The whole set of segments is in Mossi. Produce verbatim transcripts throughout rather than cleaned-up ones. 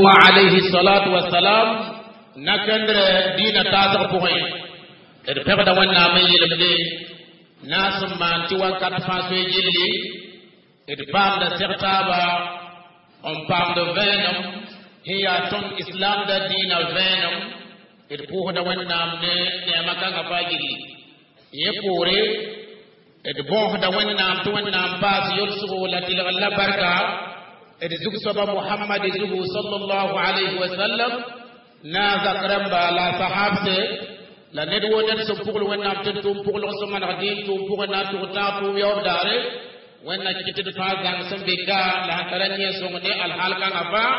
Alayhi salatu wassalam nakendre dina taasg pʋgẽ d pegda Wẽnnaam n yelemde naas n maan tɩ wakat fãa soe gilli d paamda seg taaba n paamd vẽenem sẽn yaa tõnd islamda dĩinã vẽenem d pʋʋsda Wẽnnaam ne neema kãngã fãa gilli yẽ poore d bõosda Wẽnnaam tɩ Wẽnnaam paas yolsgo la tɩlgr la barka d zug soaba Mohamad zugu sallallahu alayhi wa sallam na zak rãmba la sahabse la ned wo ned sẽn pʋgl Wẽnnaam tɩ d tʋʋm pʋglg sẽn maneg dĩin tʋʋm pʋgẽ na n tʋg tãag tʋʋm yaoob daare Wẽnna kɩt d fãa zãng sẽn be ka la sẽn tara yẽ sõng ne alhaal kãngã fãa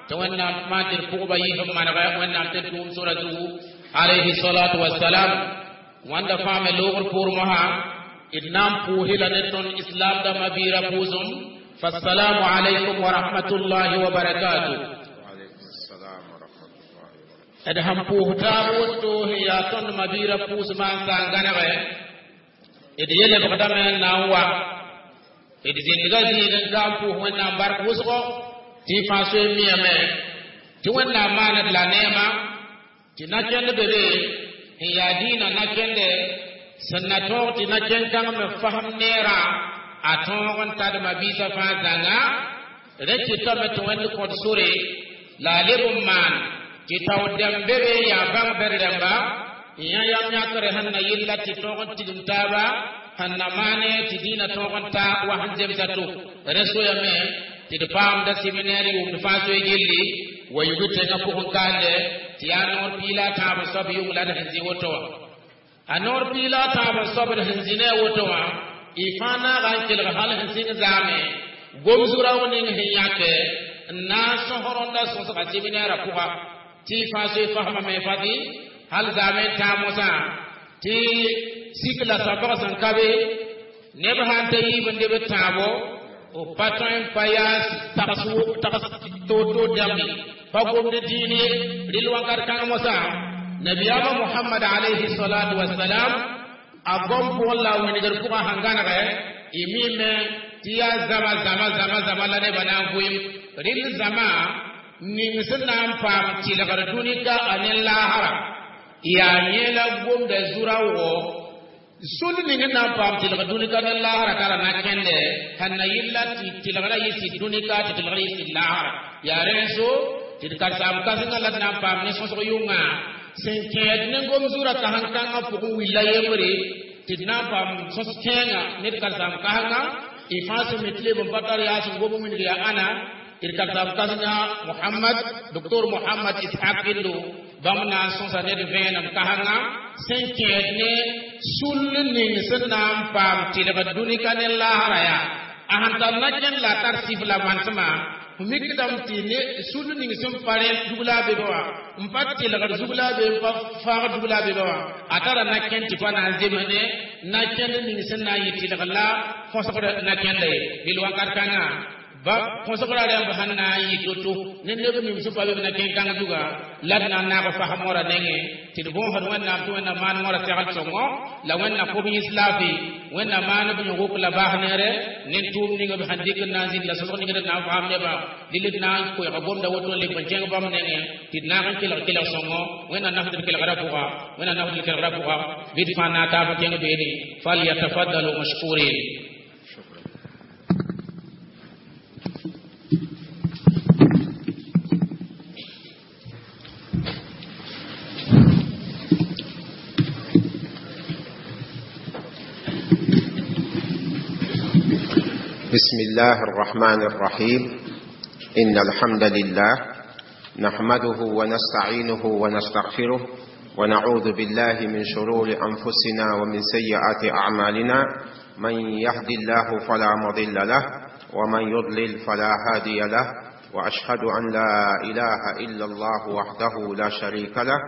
tɩ Wẽnnaam maan tɩ d pʋgba yɩs n manegɛ Wẽnnaam tɩ d tʋʋm sora zugu alayhi salatu wassalam wãnda fãa me loogr poor mosã d na n pʋʋsɩ la ne tõnd islam dãmbã biirã pʋʋsem. فالسلام عليكم ورحمة الله وبركاته. وعليكم السلام ورحمة الله وبركاته. D sẽn pʋʋs taab woto sẽn yaa tõnd mabiirã pʋʋsmã n sa n gãnegɛ d yelebgdame n na n wa d zĩndga zĩig n ka n pʋʋs Wẽnnaam bark wʋsgo tɩ y fãa soe n miyame tɩ Wẽnnaam maaned la neema tɩ na-kẽnd be be sẽn yaa dĩinã na-kẽnde sẽn na tõog tɩ na-kẽn-kãng me fasem neerã a tõog n tad mabiisã fãa zãnga rẽ kɩtame tɩ Wẽnd kõt sore la a leb n maan tɩ tao dɛm be be yaa bãng bɛd rãmba n yã yam yãkre sẽn na yella tɩ tõog n tigim taaba sẽn na maane tɩ dĩinã tõog n ta wa sẽn zemsa to rẽ soyame tɩ d paamda seminaire yʋʋmd fãa soe gilli wa yug tẽngã pʋgẽ kande tɩ yaa noor piila a tãab n soab yʋng la d sẽn zĩ woto wã a noor piila a tãab n soab d sẽn zĩ ne a woto wã y fãa naaga n kelg hal sẽn sɩng zaame gom-zurao ning sẽn yãke n na n sõs rõnda sõsga seminairã pʋga tɩ y fãa soe fasmame fati hal zaame n tãag mosã tɩ sik la sãbg sẽn ka be neb sã n ta yiib n deb tãabo b pa tõe n pa yaa tags tags toor-toor dãmbe pa gomd dĩin ye rɩl wakat kãng mosã nabiyaamã Mohamad alayhi salatu wasalam a gom pʋgẽ la a wĩndgr pʋgã sẽn gãnegɛ y mime tɩ yaa zama zama zama zama la nebã na n vʋɩm rɩl zama ning sẽn na n paam tɩlgr dũnika a ne laasra yaa yẽ la gomda zurã wʋgɔ sũl ning n na n paam tɩlg dũnika ne laasra tara na-kẽnde sẽn na yɩlla tɩ tɩlgrã yɩ sɩd dũnika tɩ tɩlgrã yɩ sɩd laasra yaa rẽ so tɩ d karen-saam kãsengã la d na n paam ne sõsg yʋngã sẽn kẽed ne gom zurã kãsen-kãngã pʋgẽ willa yembre tɩ d na n paam sõs kẽenga ne d karen-saam kãsenga y fãa sẽn mi tɩ leb n pa tar yaa sẽn gom wĩndg yaa ãna d karen-saam kãsenga Mohamad doctor Mohamad Ishaq Kindo bãmb na n sõsa ned vẽenem kãsenga sẽn kẽed ne sũll ning sẽn na n paam tɩlg dũnika ne laasra yaa a sẽn tar na-kẽnd la a tar sif la manesmã f mikdame tɩ ne sũll ning sẽn pa rẽ dugla a beba wã n pa tɩlgd zugla a be n pa faagd dugla a beba wã a tara na-kẽnd tɩ pa na n zems ne na-kẽnd ning sẽn na n yɩ tɩlg la kõsgd na-kẽnda ye bil wakat kãngã ba kõsgrã rãmb sẽn na n yɩ to-to ne neb ning sẽn pa be b na-kẽn-kãng zuga la d na n naag fasem wã nengẽ tɩ d bõosd Wẽnnaam tɩ Wẽnnaam maan wãra segl sõngo la Wẽnnaam kʋb yĩs laafɩ Wẽnnaam maan b yõgok la baas neere ne tʋʋm ning b sẽn dɩk n na n zĩnd la sõsg ning d na n fasem nebã dɩl d na n koɛɛga gomda woto n leb n kẽng bãmb nengẽ tɩ d naag n kelg kelg sõngo Wẽnnaam nafd d kelgrã pʋga Wẽnnaam nafd d kelgrã pʋga bɩ d fãa na taab n kẽng beene falyatafaddalu mashkurin. شكرا. بسم الله الرحمن الرحيم. إن الحمد لله نحمده ونستعينه ونستغفره ونعوذ بالله من شرور أنفسنا ومن سيئات أعمالنا. من يهد الله فلا مضل له ومن يضلل فلا هادي له، وأشهد أن لا إله إلا الله وحده لا شريك له،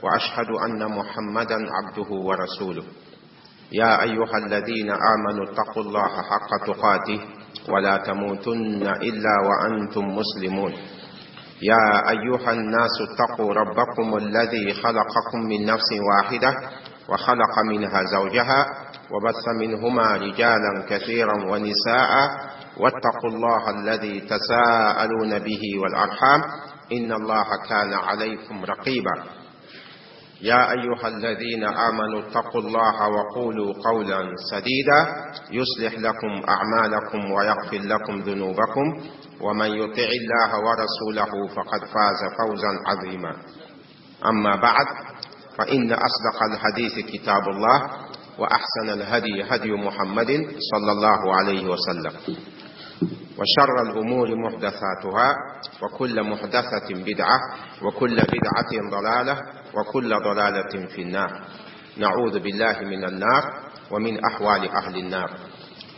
وأشهد أن محمدا عبده ورسوله. يا أيها الذين آمنوا اتقوا الله حق تقاته ولا تموتن إلا وأنتم مسلمون. يا أيها الناس اتقوا ربكم الذي خلقكم من نفس واحدة وخلق منها زوجها وبث منهما رجالا كثيرا ونساء، واتقوا الله الذي تساءلون به والأرحام إن الله كان عليكم رقيبا. يا أيها الذين آمنوا اتقوا الله وقولوا قولا سديدا يصلح لكم أعمالكم ويغفر لكم ذنوبكم، ومن يطع الله ورسوله فقد فاز فوزا عظيما. أما بعد، فإن أصدق الحديث كتاب الله، وأحسن الهدي هدي محمد صلى الله عليه وسلم، وشر الأمور محدثاتها، وكل محدثة بدعة، وكل بدعة ضلالة، وكل ضلالة في النار. نعوذ بالله من النار ومن أحوال أهل النار.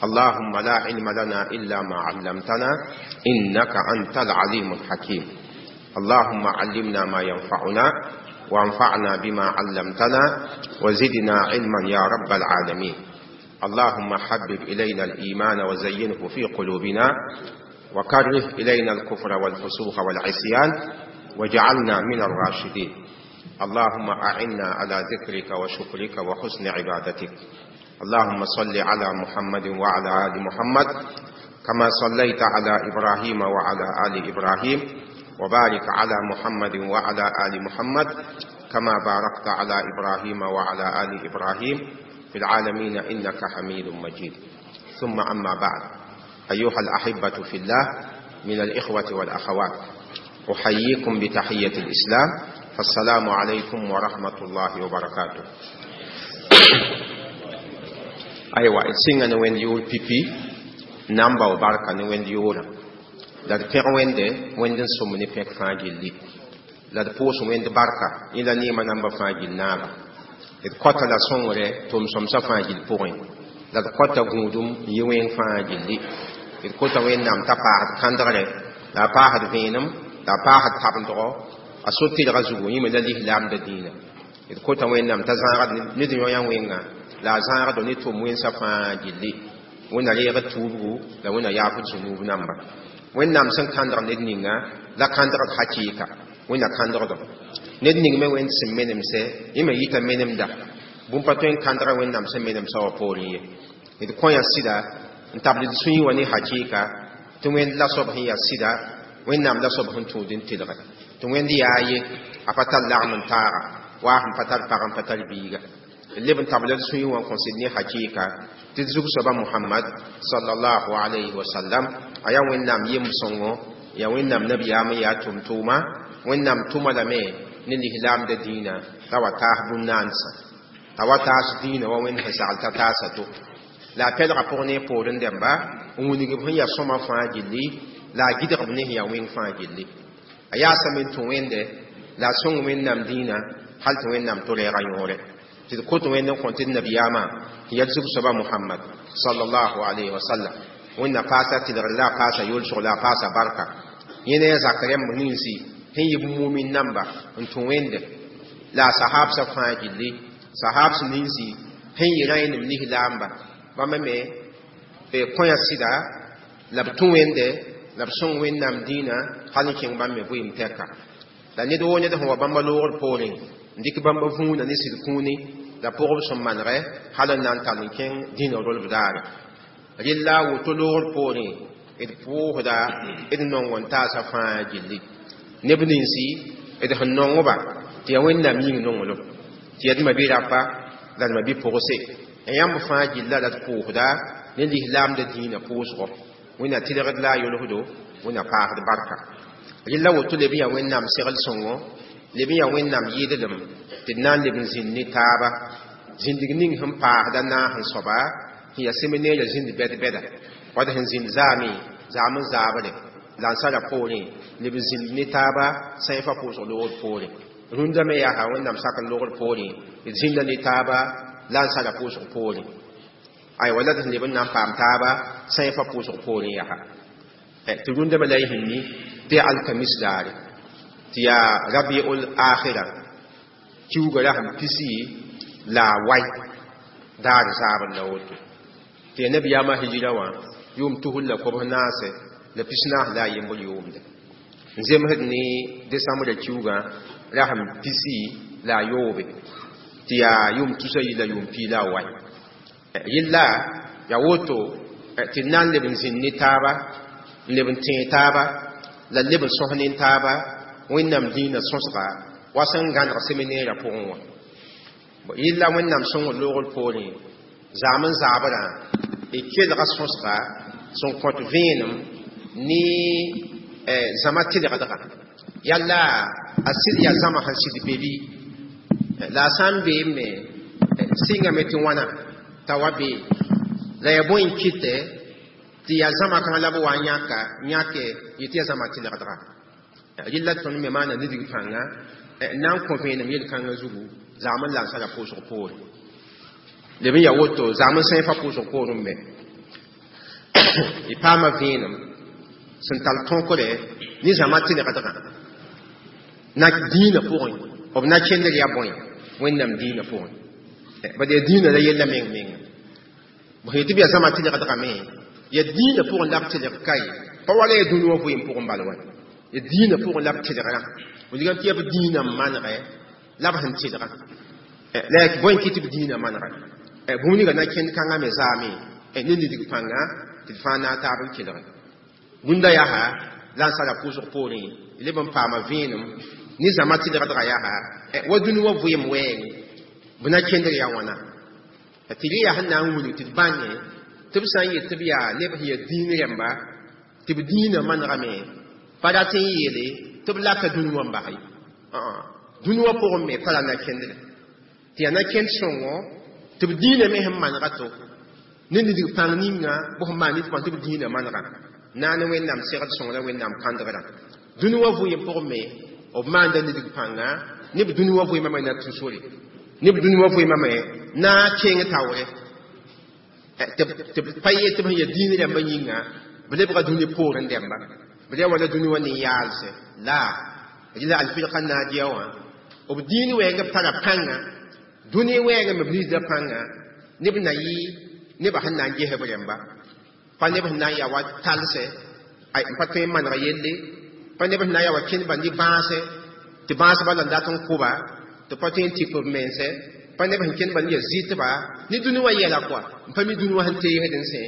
اللهم لا علم لنا إلا ما علمتنا إنك أنت العليم الحكيم. اللهم علمنا ما ينفعنا، وانفعنا بما علمتنا، وزدنا علما يا رب العالمين. اللهم حبب إلينا الإيمان وزينه في قلوبنا، وكره إلينا الكفر والفسوق والعصيان، واجعلنا من الراشدين. اللهم أعنا على ذكرك وشكرك وحسن عبادتك. اللهم صل على محمد وعلى آل محمد كما صليت على إبراهيم وعلى آل إبراهيم، وبارك على محمد وعلى آل محمد كما باركت على إبراهيم وعلى آل إبراهيم في العالمين إنك حميد مجيد. ثم أما بعد، أيها الأحبة في الله من الإخوة والأخوات، أحييكم بتحية الإسلام، فالسلام عليكم ورحمة الله وبركاته. أيوة، سينغ نوين يول بي بي نامبا وبركة نوين يولا la d pẽg Wẽnde, Wẽnd n sõm ne pẽk fãa gilli, la d pʋʋs Wẽnd barka yẽ la neemã namba fãa gill naaba. D kõta la sõngre tʋm-sõmsã fãa gill pʋgẽ, la d kõta gũudum n yɩ wẽng fãa gilli. D kota Wẽnnaam t'a paasd kãndgre, la a paasd vẽenem, la a paasd tabendgo a so tɩlga zugu, yẽ me la lislaamda dĩinã. D kota Wẽnnaam t'a zãagd ned yõ-yã wẽnga, la a zãagdo ne tʋm wẽnsã fãa gilli. Wẽnna reegd tuubgu, la Wẽnna yaafd zũnuub namba. Wẽnnaam sẽn kãndg ned ninga la kãndgd hakɩɩka, Wẽnna kãndgdo ned ning me Wẽnd sẽn menemse, yẽ me yita menemda bũmb pa tõe n kãndga Wẽnnaam sẽn menemsã wã poorẽ ye. D kõ ya sɩda n tabl d sũyẽ wã ne hakɩɩka tɩ Wẽnd la soab sẽn yaa sɩda, Wẽnnaam la soab sẽn tũud n tɩlge, tɩ Wẽnd yaa ye, a pa tar lagm n taaga, waa sẽn pa tar pag n pa tar biiga. D leb n tabl d sũyẽ wã n kõ sɩd ne hakɩɩka tɩ d zug-soaba Mohamad sallallahu alayhi wa sallam a yaa Wẽnnaam yem-sõngo, yaa Wẽnnaam nabiyaam n yaa tʋm-tʋʋma. Wẽnnaam tʋma lame ne lislaamda dĩinã t'a wa taas bũn-naansã, t'a wa taas dĩinã wa Wẽnd sẽn sagl t'a taasa to. La a pɛlga pʋg ne poorẽ dẽmba n wilg b sẽn yaa sõma fãa gilli, la a gɩdg b ne sẽn yaa wẽng fãa gilli. A yaasame n tũ Wẽnde, la a sõng Wẽnnaam dĩinã hal tɩ Wẽnnaam to reega yõore. Tɩ d kot Wẽnd n kõ tɩ d nabiyaamã tɩ yaa d zug-soaba Mohamad sallallahu alayhi wa sallam. Wẽnna paasa tɩlgr, la a paasa yolsg, la a paasa barka. Yẽ ne a zak rẽmb ninsi sẽn yɩ b mumin namba n tũ Wẽnde, la a sahabsã fãa gilli, sahabs ninsi sẽn yɩ rãenem lislaamba, bãmba me kõ ya sɩda, la b tũ Wẽnde, la b sõng Wẽnnaam dĩinã hal n kẽng bãmb me vɩɩm tɛka. La ned woo ned sẽn wa bãmba loogr poorẽ n dɩk bãmba vũuna ne sɩd kũuni la pʋgb sẽn manegɛ hal n na n tall n kẽng dĩinã rolb daare. Rella a woto loogr poorẽ d pʋʋsda d nong n taasã fãa gilli. Neb ninsi d sẽn nongba tɩ yaa Wẽnnaam yĩng nonglem, tɩ yaa d ma-bi-rapa la d ma-bi-pʋgse yãmb fãa gilla, la d pʋʋsda ne lislaamda dĩinã pʋʋsgɔ. Wẽnna tɩlgd la a yolsdo, Wẽnna paasd barka. Rella woto leb n yaa Wẽnnaam segl sõngo, leb n yaa Wẽnnaam yɩɩdlem tɩ d na n leb n zĩnd ne taaba zĩndig ning sẽn paasda naas n soaba sẽn yaa seminɛɛrã zĩnd bɛd-bɛda wad sẽn zĩnd zaame zaam n zaabre la n sara poorẽ, leb n zĩnd ne taaba sãifa pʋʋsg loogr poorẽ. Rũndã me yaa Wẽnnaam sak n logr poorẽ d zĩnda ne taaba la n sara pʋʋsg poorẽ. Aywa, la d sẽn leb n na n paam taaba sãifa pʋʋsg poorẽ yaa tɩ rũndã me la y sẽn tɩ yaa alkamis daare, tɩ yaa rabiul akhira kiuga ra sẽn pisi la a wai daar zaabr la woto, tɩ yaa nabiyaamã hijira wã yʋʋm tusr la kobs naase la pis-naas la a yembr yʋʋmde, n zemsd ne desambrã kiugã ra sẽn pisi la a yoobe, tɩ yaa yʋʋm tusa yi la yʋʋm pii la a wai. Yella yaa woto tɩ d na n leb n zĩnd ne taaba, n leb n tẽeg taaba, la leb n sõs ne taaba. Wẽnnaam dĩinã sõsga wa sẽn gãneg seminɛɛrã pʋgẽ wã. Yella Wẽnnaam sõngr loogr poorẽ zaam n zaabrã d kelga sõsga sẽn kõt vẽenem ne zãma tɩlgdga yalla a sɩd yaa zãma sẽn sɩd be bɩ la a sã n beem me sɩngame tɩ wãna t'a wa be la yaa bõe n kɩtɛ tɩ yaa zãma kãngã la b wa n yãka yãke yetɩ yaa zãma tɩlgdga rɩlla tõnd me maana nidg pãnga n na n kõ vẽenem yel-kãngã zugu zagm n lansara pʋʋsg poore leb n yaa woto zagm n sẽefa pʋʋsg poorẽ me y paama vẽenem sẽn tar tõkre ne zãma tɩlgdgã na dĩinã pʋgẽ b na kẽndr yaa bõe Wẽnnaam dĩinã pʋgẽ bad yaa dĩinã la yella meng menga b sẽn tɩ b yaa zãma tɩlgdgame yaa dĩinã pʋgẽ la b tɩlg kaye pa wala yaa dũni wã vɩɩm pʋgẽ bal wa yaa dĩinã pʋgẽ la b tɩlgrã wilgame tɩ yaa b dĩinã n manegɛ la b sẽn tɩlgã la yaa bõe n kɩ tɩ b dĩinã manega bũmb ninga na kẽnd kãngã me zaame ne nidg pãnga tɩ d fãa na a taab n kelge rũndã yaa la n sara pʋʋsg poorẽ leb n paama vẽenem ne zãma tɩlgdgã yaa wa dũni wã vɩɩm wɛɛng b na kẽndr yaa wãna tɩ rẽ yaa sẽn na n wilg tɩ d bãnge tɩ b sã n yet tɩ b yaa neb sẽn yaa dĩin rẽmba tɩ b dĩinã manegame pa rat n yeele tɩ b laka dũni wã n bas ye dũni wã pʋgẽ me tara na kẽndre tɩ yaa na kẽnd sõngo tɩ b dĩinã me sẽn manega to ne nidg pãng ninga b sẽn maan nit tɩ b dĩinã manega naane Wẽnnaam segd sõng la Wẽnnaam kãndgrã dũni wã vɩɩm pʋgẽ me b maanda nidg pãnga ne b dũni wã vɩɩmã me na tũ sore ne b dũni wã vɩɩmã me na kẽng taoore tɩ b pa yet tɩ b sẽn yaa dĩin rãmbã yĩnga b lebga dũni poorẽ dẽmba b yaa wala dũni wã nin-yaalse la rɩla alfirka naadiya wã b dĩin wɛɛng b tara pãnga dũni wɛɛngã me b nisda pãnga neb na yɩ nebã sẽn na n ges b rẽmba pa neb sẽn na n yaa wa talsɛ n pa tõe n maneg yelle pa neb sẽn na n yaa wa kẽndba ne bãase tɩ bãasbã la n dat n kʋba tɩ pa tõe n tɩp b mense pa neb sẽn kẽndba ne yaa zɩtba ne dũni wã yɛla koa n pa mi dũni wã sẽn teesd n sẽ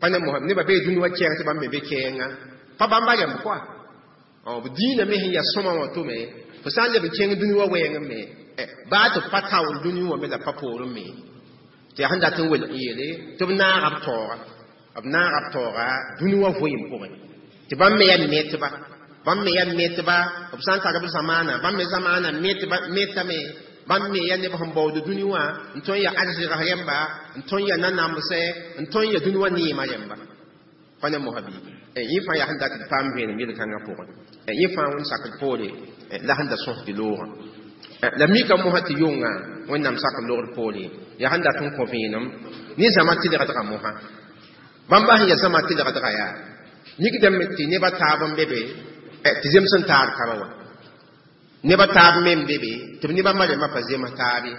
pa ne mosã nebã bee dũni wã kɛɛng tɩ bãmb me be kɛɛnga pa bãmba rẽmb koa b dĩinã me sẽn yaa sõma wã tome fo sã n leb n kẽng dũni wã wɛɛng me baa tɩ pa taoor dũni wã me la pa poorẽ me tɩ yaa sẽn dat n welg n yeele tɩ b naaga b taooga b naaga b taooga dũni wã vɩɩm pʋgẽ tɩ bãmb me yaa metba bãmb me yaa metba b sã n tar b zamaana bãmb me zamaana metame bãmb me yaa neb sẽn baood dũni wã n tõe n yaa arzɩgs rẽmba n tõe n yaa nanamsɛ n tõe n yaa dũni wã neemã rẽmba pa ne mosã bɩ yẽ fãa yaa sẽn dat d paam vẽenem yel-kãngã pʋgẽ yẽ fãa wẽnd sakd poore la sẽn da sõsd loogã la mika mosã tɩ yʋnga Wẽnnaam sak loogr poore yaa sẽn dat n kõ vẽenem ne zãma tɩlgdgã mosã bãmba sẽn yaa zãma tɩlgdgã yaa mikdame tɩ nebã taab n be be tɩ zems n taar kaba wã nebã taab me n be be tɩ b ne bãmba rẽmbã pa zems taab ye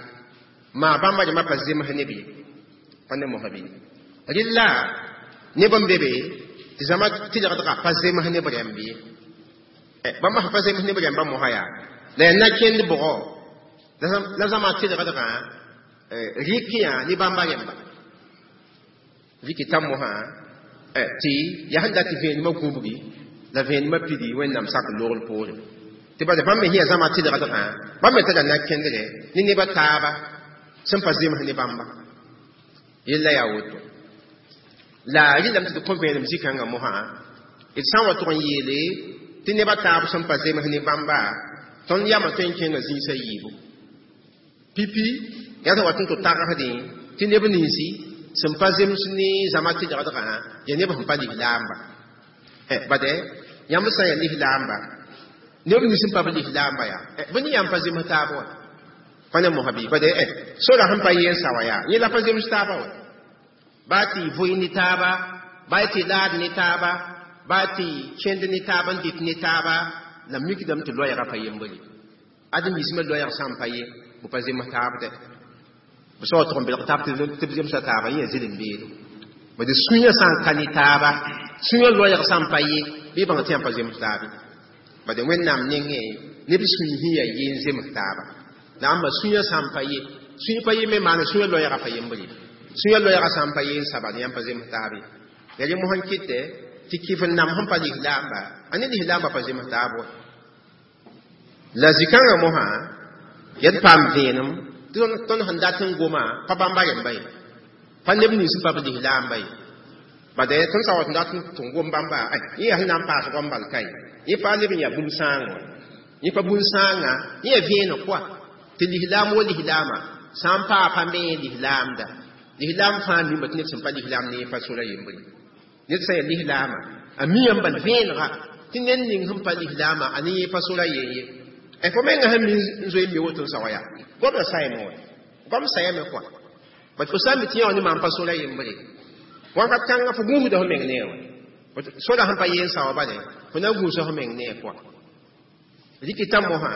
maa bãmba rẽmbã pa zems neb ye pa ne mosã bɩ rɩlla neb n be be tɩ zãma tɩlgdgã pa zems neb rẽmb ye bãmba sẽn pa zems neb rẽmbã mosã yaa la yaa na kẽnd bʋgɔ la zãma tɩlgdgã rɩk yã ne bãmba rẽmba rɩk t'a mosã tɩ yaa sẽn dat tɩ vẽenemã gũbgi la vẽenemã pidi Wẽnnaam sak loogr poore tɩ bala bãmb me sẽn yaa zãma tɩlgdgã bãmb me tara na kẽndre ne nebã taaba sẽn pa zems ne bãmba yella yaa woto la rɩlame tɩ d kõ vẽenem zĩ-kãngã mosã d sã n wa tʋg n yeele tɩ nebã taab sẽn pa zems ne bãmba tõnd yamã tõe n kẽnga zĩisã yiibu pipi yaa sẽn wat n tɩ tagsdẽ tɩ neb ninsi sẽn pa zems ne zãma tɩlgdgã yaa neb sẽn pa lislaamba bade yãmb sã n yaa lislaamba neb nins sẽn pa b lislaamba yaa bɩ ne yãmb pa zems taab wa pa ne mosã bɩ bade sora sẽn pa yeen sa wã yaa yẽ la pa zems taaba wa baa tɩ vʋɩ ne taaba baa tɩ laad ne taaba baa tɩ kẽnd ne taaba n dɩt ne taaba la mikdame tɩ loɛɛgã pa yembre ad mismã loɛɛg sã n pa ye b pa zems taab dɛ b sao tʋg n belg taab tɩ b zemsa taaba yẽ yaa zɩlem beedo bad sũyã sã n ka ne taaba sũyã loɛɛg sã n pa ye bɩ bãng tɩ yãmb pa zems taab ye bad Wẽnnaam nengẽ neb sũy sẽn yaa ye n zems taaba la ãmba sũyã sã n pa ye sũy pa ye me maana sũyã loɛɛgã pa yembre sũyã loɛɛgã sã n pa ye n saba yãmb pa zems taab ye ya rẽ mosã n kɩtɛ tɩ kɩf n nam sẽn pa lislaamba a ne lislaamba pa zems taab wa La zĩ-kãngã mosã yed paam vẽenem tɩ tõnd sẽn dat n goma pa bãmba rẽmba ye pa neb nins sẽn pa b lislaamba ye bade tõnd sã wa tɩ dat tɩ n gom bãmba yẽ yaa sẽn na n paas goam bal ka ye yẽ pa leb n yaa bũmb sãang wã yẽ pa bũn-sãangã yẽ yaa vẽeneg koa tɩ lislaam wa lislaama sã n paa pa me lislaamda lislaam fãa mimba tɩ ned sẽn pa lislaam ne pa sora yembre ned sã yaa lislaama a miyame bal vẽenega tɩ ned ning sẽn pa lislaama a ne yẽ pa sora yen ye fo menga sẽn mi n zoe n mi woto n sa wa yaa goamda sayame wa goam sayame koa bat fo sã n mi tɩ yã wã ne maan pa sora yembre wakat kãngã fo gũusda fo meng ne wa sora sẽn pa yen sa wa bale fo na gũusa fo meng ne koa rikita mosã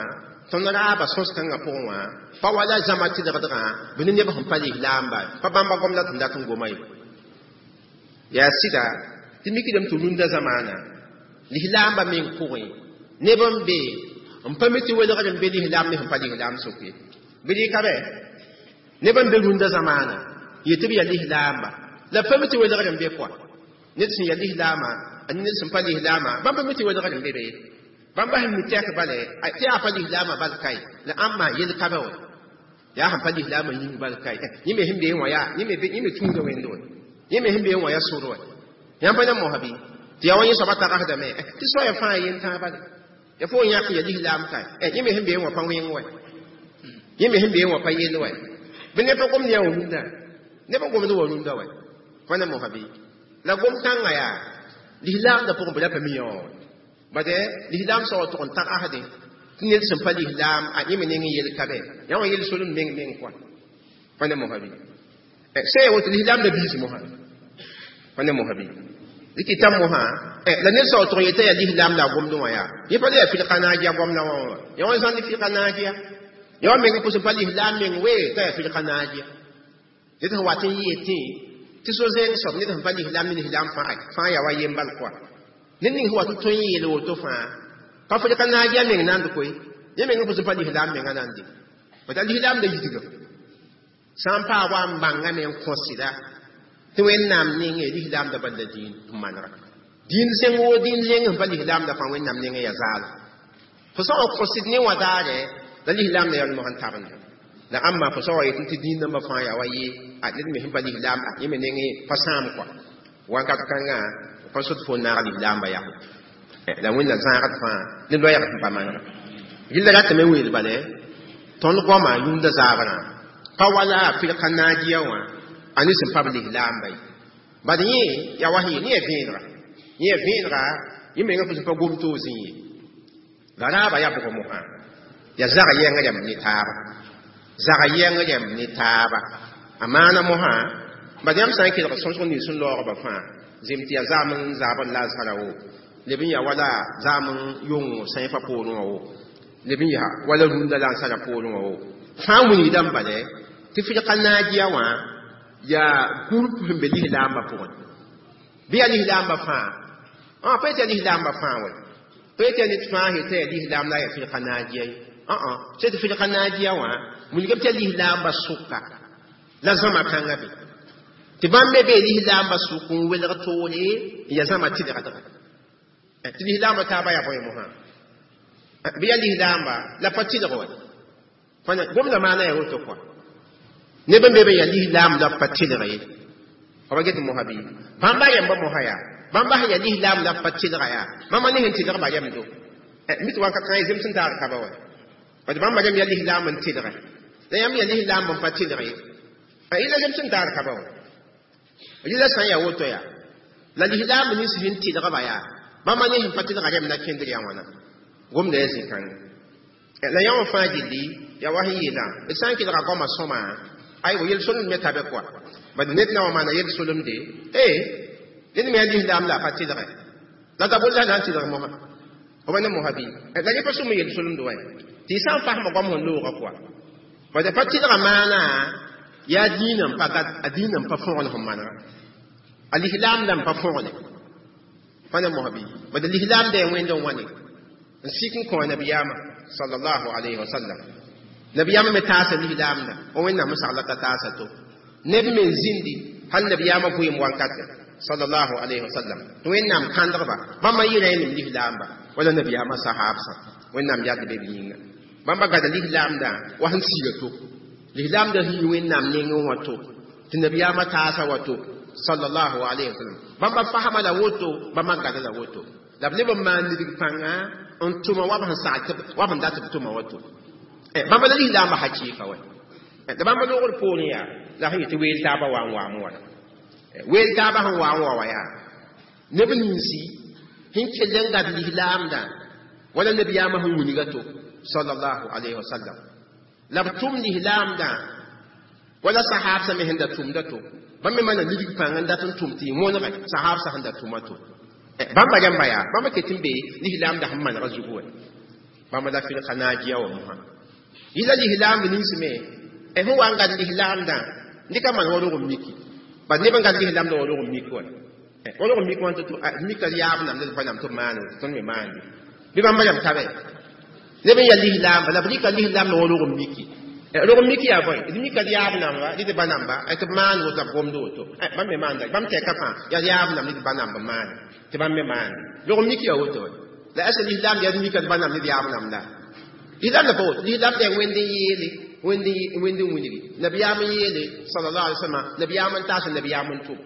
tõnd raaba sõs-kãngã pʋgẽ wã pa wala zãma tɩlgdgã bɩ ne neb sẽn pa lislaamba pa bãmba gom la tɩ dat n goma ye yaa sɩda tɩ mikdame tɩ rũndã zamaana lislaamba meng pʋgẽ neb n be n pa mi tɩ welgr n be lislaam ne sẽn pa lislaam sʋk ye bɩ rɩka bɛ neb n be rũndã zamaana yetɩ b yaa lislaamba la pa mi tɩ welgr n be kɔa ned sẽn yaa lislaama a ned sẽn pa lislaama bãmb pa mi tɩ welgr n be be bãmba sẽn mi tɛk bale tɩ yaa pa lislaama bal kae la ãmba yel ka be wã yaa sẽn pa lislaama yĩng bal kae yẽ me sẽn bee wã yaa yẽ me tũuda wẽnde wã yẽ me sẽn bee wã yaa sor wã yãmb pa na mosa bɩ tɩ yaa wa yẽ soaba tagsdame tɩ soaya fãa yen tãag bale ya fo yãk ya lislaam kae yẽ me sẽn bee wã pa wẽng wɛ yẽ me sẽn bee wã pa yell wɛ bɩ neb pa gomd yaa wa rũndã neb n gomd wa rũndã wɛ fa na mosa bɩ la gom kãngã yaa lislaamda pʋgẽ bɩ la pa mi yã wã wɛ bade lislaam soa tʋg n tagsdẽ tɩ ned sẽn pa lislaam a yẽ me neng n yel ka bɛ yã wã yel solem meng meng koa pa ne mosa bɩ sã ya woto lislaamda biis mosã pa ne mosa bɩ dɩkɩ mosã la ned soa tʋg n yetã yaa lislaam la a gomdẽ wã yaa yẽ pa le yaa fɩlka naajiya gomdã wã wã yã wã zãnd fɩlka naajiya yã wã meng pʋs n pa lislaam meng wee t'a yaa fɩlka naajiya ned sẽn wat n yɩɩ tẽ tɩ so-zẽng soab ned sẽn pa lislaam ne lislaam fãa fãa yaa wa yem bal koa ned ning sẽn wat n tõe n yeel woto fãa pa fɩlka naajiya meng nand koe yẽ meng pʋs n pa lislaam menga nande bata lislaam da yidga sã n paa wa n bãngame n kõ sɩda tɩ wẽnnaam nenge lislaam da bal la dĩin n manega dĩin zẽng woo dĩin zẽng sẽn pa lislaam da fãa wẽnnaam nenge yaa zaala fo sã n wa kõ sɩd ne wã daare la lislaam da yaa mosã n tabenda la ãmba fo sã wa yetẽ tɩ dĩin dãmbã fãa yaa wa ye a ned me sẽn pa lislaam yẽ me nenge pa sãam kɔa wakat kãngã pa sot fo n naag lislaamba yaa la wẽnna zãagd fãa ne loɛɛg sẽn pa manega rɩla ratame weel bale tõnd goama yũnda zaabrã pa wala fɩlka naajiya wã a ne sẽn pa b lislaamba ye bad yẽ yaa wa sẽn yee ne yaa vẽenega yẽ yaa vẽenega yẽ mengã pʋsẽ pa gom toog zĩ ye la raaba yaa bʋg mosã yaa zag yɛng rɛmb ne taaba zag yɛng rɛmb ne taaba a maana mosã bad yãmb sã n kelg sõsg nins sẽn laoogba fãa zem tɩ yaa zam n zaabd lazara wo leb n yaa wala zam n yong sãyfã poorẽ wã wo leb n yaa wala rũndã la n sara poorẽ wã wo fãa wilgdame bale tɩ fɩlka naajiya wã yaa group sẽn be lislaambã pʋgẽ bɩ yaa lislaambã fãa ã pa yetɩ yaa lislaambã fãa wɛ pa yetɩ yaa ned fãa sẽn t'a yaa lislaam la yaa fɩlka naajiya ye ã sã tɩ fɩlka naajiya wã wilgame tɩ yaa lislaambã sʋka la zãma kãngã be tɩ bãmb me bee lislaambã sʋk n welg toore n yaa zãma tɩlgdga tɩ lislaambã taaba yaa bõe mosã bɩ yaa lislaamba la pa tɩlg wɛ gomda maana yaa woto kɔa neb n be be yaa lislaam la pa tɩlg ye fa ba get mosã bɩ bãmba yɛmba mosã yaa bãmba sẽn yaa lislaam la pa tɩlga yaa bãmba ne sẽn tɩlgba yɛmdo mi tɩ wakat kãngã zems n taag kaba wɛ bad bãmba rẽmb yaa lislaam n tɩlge la yãmb yaa lislaam n pa tɩlg ye yɩla zems n taag kaba wɛ rɩla sã n yaa woto yaa la lislaam nins sẽn tɩlgba yaa bãmba ne sẽn pa tɩlga rẽmb na kẽndr yaa wãna gomda yaa zĩ-kãngã la yã wã fãa gilli yaa wa sẽn yeelã d sã n kelga goamã sõma aywa yel-solemd me ta be kɔa bad ned na wa maana yel-solemde ee ned me yaa lislaam la a pa tɩlge la dabol la na n tɩlg mosã fo pa ne mosã bɩ la yẽ pa sʋm yel-solemd wa tɩ y sã n fasma goam sẽn looga kɔa bad pa tɩlga maana yaa dĩinã n pa gat a dĩinã n pa fõgen sẽn manega a lislaam la n pa fõgne pa ne mosã bɩ bad lislaam da yaa wẽnd n wa ne n sik n kõ a nabiyaamã sallallahu alayhi wa sallam nabiyaamã me taasa lislaamda o wẽnnaam n sagla t'a taasa to neb me n zĩndi hal nabiyaamã vɩɩm wankate sallallahu alayhi wa sallam tɩ wẽnnaam kãndgba bãmba yɩra yẽ nem lislaamba wala nabiyaamã sahaabsã wẽnnaam yad be b yĩnga Bãmba gada lislaamdã wa sẽn siga to lislaamdã sẽn yi Wẽnnaam nengẽ wã to tɩ nabiyaamã taasa wato sallallahu alayhi wa sallam. Bãmba fasma la woto, bãmba gada la woto, la b leb n maan nidg pãnga n tʋma wa b sẽn sag wa b sẽn dat b tʋma wato. Bãmba la lislaambã hakɩɩka wa la bãmba loogr poorẽ yaa la sẽn yetɩ weel taabã wa n waame wala weel taabã sẽn wa n wa wa yaa neb ninsi sẽn kell n gad lislaamdã wala nabiyaamã sẽn wilga to sallallahu alayhi wa sallam la b tʋm lislaamdã wala sahaabsã me sẽn da tʋmda to bãmb me maana nidg pãng n dat n tʋm tɩ y wõnege sahaabsã sẽn da tʋma to. Bãmba rãmba yaa bãmba ket n be lislaamdã sẽn manega zugu wɛ bãmba la firka naajiya wã mosã yɩla lislaamb nins me sẽn wa n gad lislaamdã dɩka maan wa rog n miki bad neb n gad lislaamdã wa rog n mik wa wa rog n mik wã tɩ mika yaab nam ned pa nam tɩ b maan tõnd me maande bɩ bãmba rãmb tabe neb n yaa lislaamba la b rɩka lislaamdã wa rog n miki rog n miki yaa bõe d mika d yaab namba dɩ d ba namba tɩ b maan woto la b gomd woto bãmb me maanda bãmb tɛka fãa yaa yaab nam ned ba namb maane tɩ bãmb me maande rog n miki yaa woto la asa lislaam yaa d mika d ba nam ned yaab namda lislaam la pa woto lislaam yaa wẽnd n yeele wẽnd wẽnd n wilgi nabiyaam n yeele sallallahu alaihi wasallam nabiyaam n taas nabiyaam n tʋm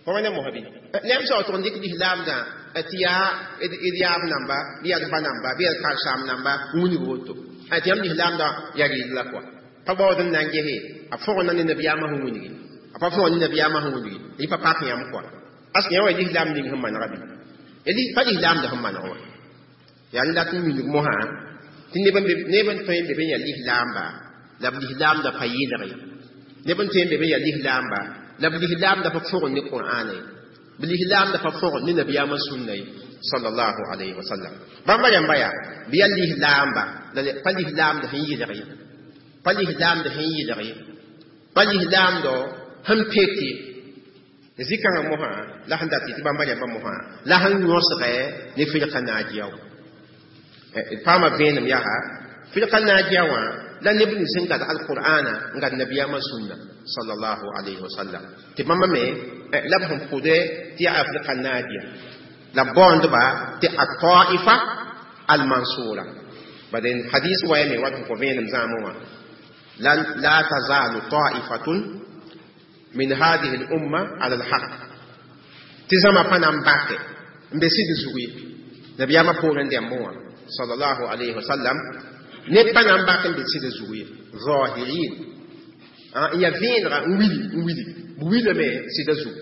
pa wẽna mosã bɩ neb sao tʋg n dɩk lislaamdã tɩ yaa d yaab namba bɩ yaa d ba namba bɩ yaa d karsaam namba n wilg woto tɩ yãmb lislaamdã yaa rɩɩd la kɔa pa baood n na n gese a fõgna ne nabiyaamã sẽn wilgi a pa fõg ne nabiyaamã sẽn wilgi yɩ pa pak yãmb kɔa paske yã wa lislaam ning sẽn manega bɩ pa lislaamdã sẽn maneg wã yaa n dat n wilg mosã tɩ neb n tõe n be be yaa lislaamba la b lislaamdã pa yɩlge neb n tõe n be be yaa lislaamba la b lislaamdã pa fõgd ne Qur'aana ye b lislaamdã pa fõgd ne nabiyaamã sũnna ye sallallahu alayhi wa sallam. Bãmba rãmba yaa bɩ yaa lislaamba la pa lislaamdã sẽn yɩlg ye pa lislaamdã sẽn yɩlg ye pa lislaamdɔ sẽn pete zikãngã mosã la sẽn dat tɩ bãmba rãmba mosã la sẽn yõsgɛ ne firka naajiya wã d paama vẽenem yaa firka naajiya wã la neb nins sẽn gad alqur'ana n gad nabiyaamã sũnna sallallahu alayhi wa sallam tɩ bãmba me la b sẽn pʋdɛ tɩ yaa afrika naajiya la b baoondba tɩ ataifa almansura bad hadis waya me wat sẽn kõ vẽenem zãamẽ wã la tazalu taifatun min hadihi lumma ala alhaq tɩ zãma pa na n bake n be sɩd zug ye nabiyaamã poorẽ dẽmbẽ wã sallallahu alayhi wa sallam neb pa na n bak n be sɩd zug ye zahirin n yaa vẽenega n wili n wili b wilame sɩda zug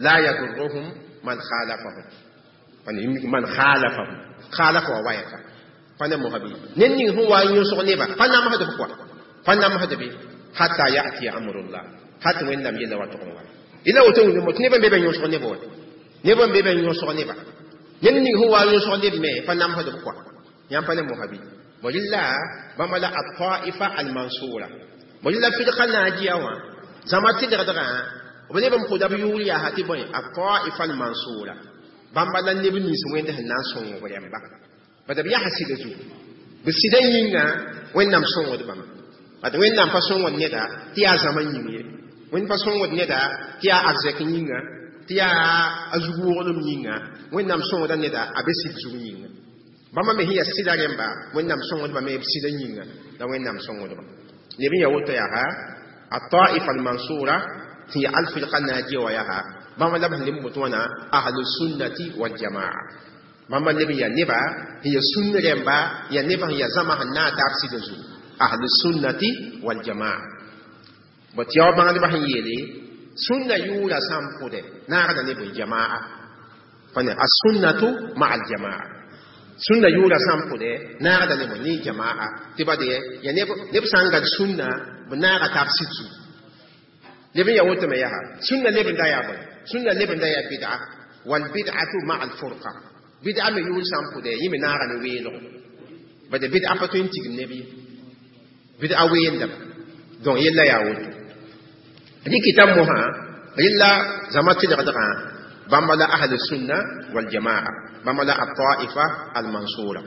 la yadurruhum man khalafahum man khalafahum khalafa wa wayaka pa ne mosã bɩ ned ning sẽn wa n yõsg neba pa namsd b kɔa pa namsd be hatta yati amrullah hat Wẽnnaam yella wa tʋg n wa yella woto wĩnda tɩ neb n be be yõsg neba wa neb n be be yõsg neba ned ning sẽn wa n yõsg neb me pa namsd b kɔa yãmb pa ne mosã bɩ bõe bãmba la ataifa almansura bõe la firka naajiya wã zãma tɩlgdgã b leb n pʋda b yʋʋr yaa tɩ bõe ataifa almansura bãmba la neb nins wẽnd sẽn na n sõng b rẽmba bad b yaa sɩda zugu b sɩda yĩnga Wẽnnaam sõngd bãmba bad Wẽnnaam pa sõngd neda tɩ yaa zãma yĩng ye Wẽnd pa sõngd neda tɩ yaa arzɛk yĩnga tɩ yaa a zug woglem yĩnga Wẽnnaam sõngda neda a be sɩd zug yĩnga bãmba me sẽn yaa sɩda rẽmba Wẽnnaam sõngdba me b sɩda yĩnga la Wẽnnaam sõngdba neb n yaa woto yaa ataifa almansura tɩ yaa alfirka naajiya wa yaa bãmba la b sẽn leb n bot wãna ahlusunnati waljamaa bãmba leb n yaa neba sẽn yaa sũnn rẽmba yaa neba sẽn yaa zãma sẽn naag taab sɩda zugu ahlusunnati waljamaa bõ tɩ yao bãngdbã sẽn yeele sũnna yʋʋra sã n pʋdɛ naagda ne bõe jamaa pa ne assunnatu maa aljamaa sũnna yʋʋra sã n pʋdɛ naagda ne bõe ne jamaa tɩ ba de yaa neb sã n gad sũnna b naaga taab sɩd zugu leb n yaa woto me yaa sũnna leb n da yaa bõe sũnna leb n da yaa bid'a walbid'atu maa alfurqa bid'a me yʋʋr sã n pʋdɛ yẽ me naaga ne weelgo bad bid'a pa tõe n tigim neb ye bid'a weendame donc yella yaa woto rɩkɩta mosã rɩlla zãma tɩlgdgã bãmba la ahlu sunna waljamaa bãmba la ataifa almansura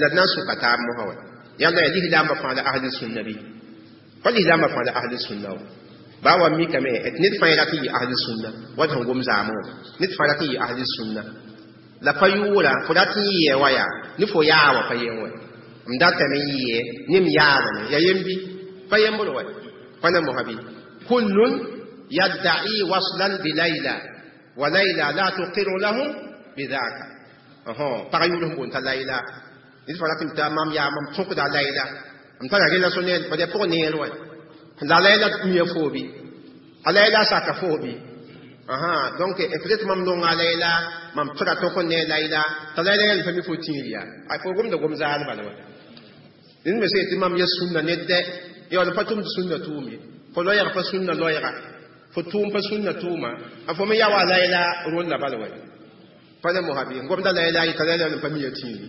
la d na n sʋka taab mosã wa yãmb yaa lislaambã fãa la ahlu sunna bɩ pa lislaambã fãa la ahlu sunna wa baa wa mikame tɩ ned fãa rat n yɩ ahlu sunna wa sẽn gom zaamẽ wã ned fãa rat n yɩ ahlu sunna la pa yʋʋra fo rat n yɩ wa yaa ne fo yaa wa pa yen wɛ M datame n yɩ ne m yaadame ya yembi pa yembr wa pa na mosa bɩ kullun yadda'i waslan bi layla wa layla la tuqiru lahum bidhaka pag yʋʋr sẽn boond t'a layla ned fãa rat tɩ mam yaa mam tõkda layla m tara relation ne bad yaa pʋg neer wa la layla mia foo bɩ a layla saka foo bɩ aha donc peut-être mam nonga layla mam tõda tõk n ne layla t'a layla yãl pa mi fo tĩir yaa a fo gomda gom zaal bala wa ned me sã tɩ mam ya sũnna ned dɛ yaool pa tʋmd sũnna tʋʋm ye fo loɛɛg pa sũnna loɛɛga fo tʋʋm pa sũnna tʋʋma a fo me ya wa layla rʋnda bala wa pa ne mosa bɩ n gomda layla yɩ t'a layla n pa mi ya tĩiri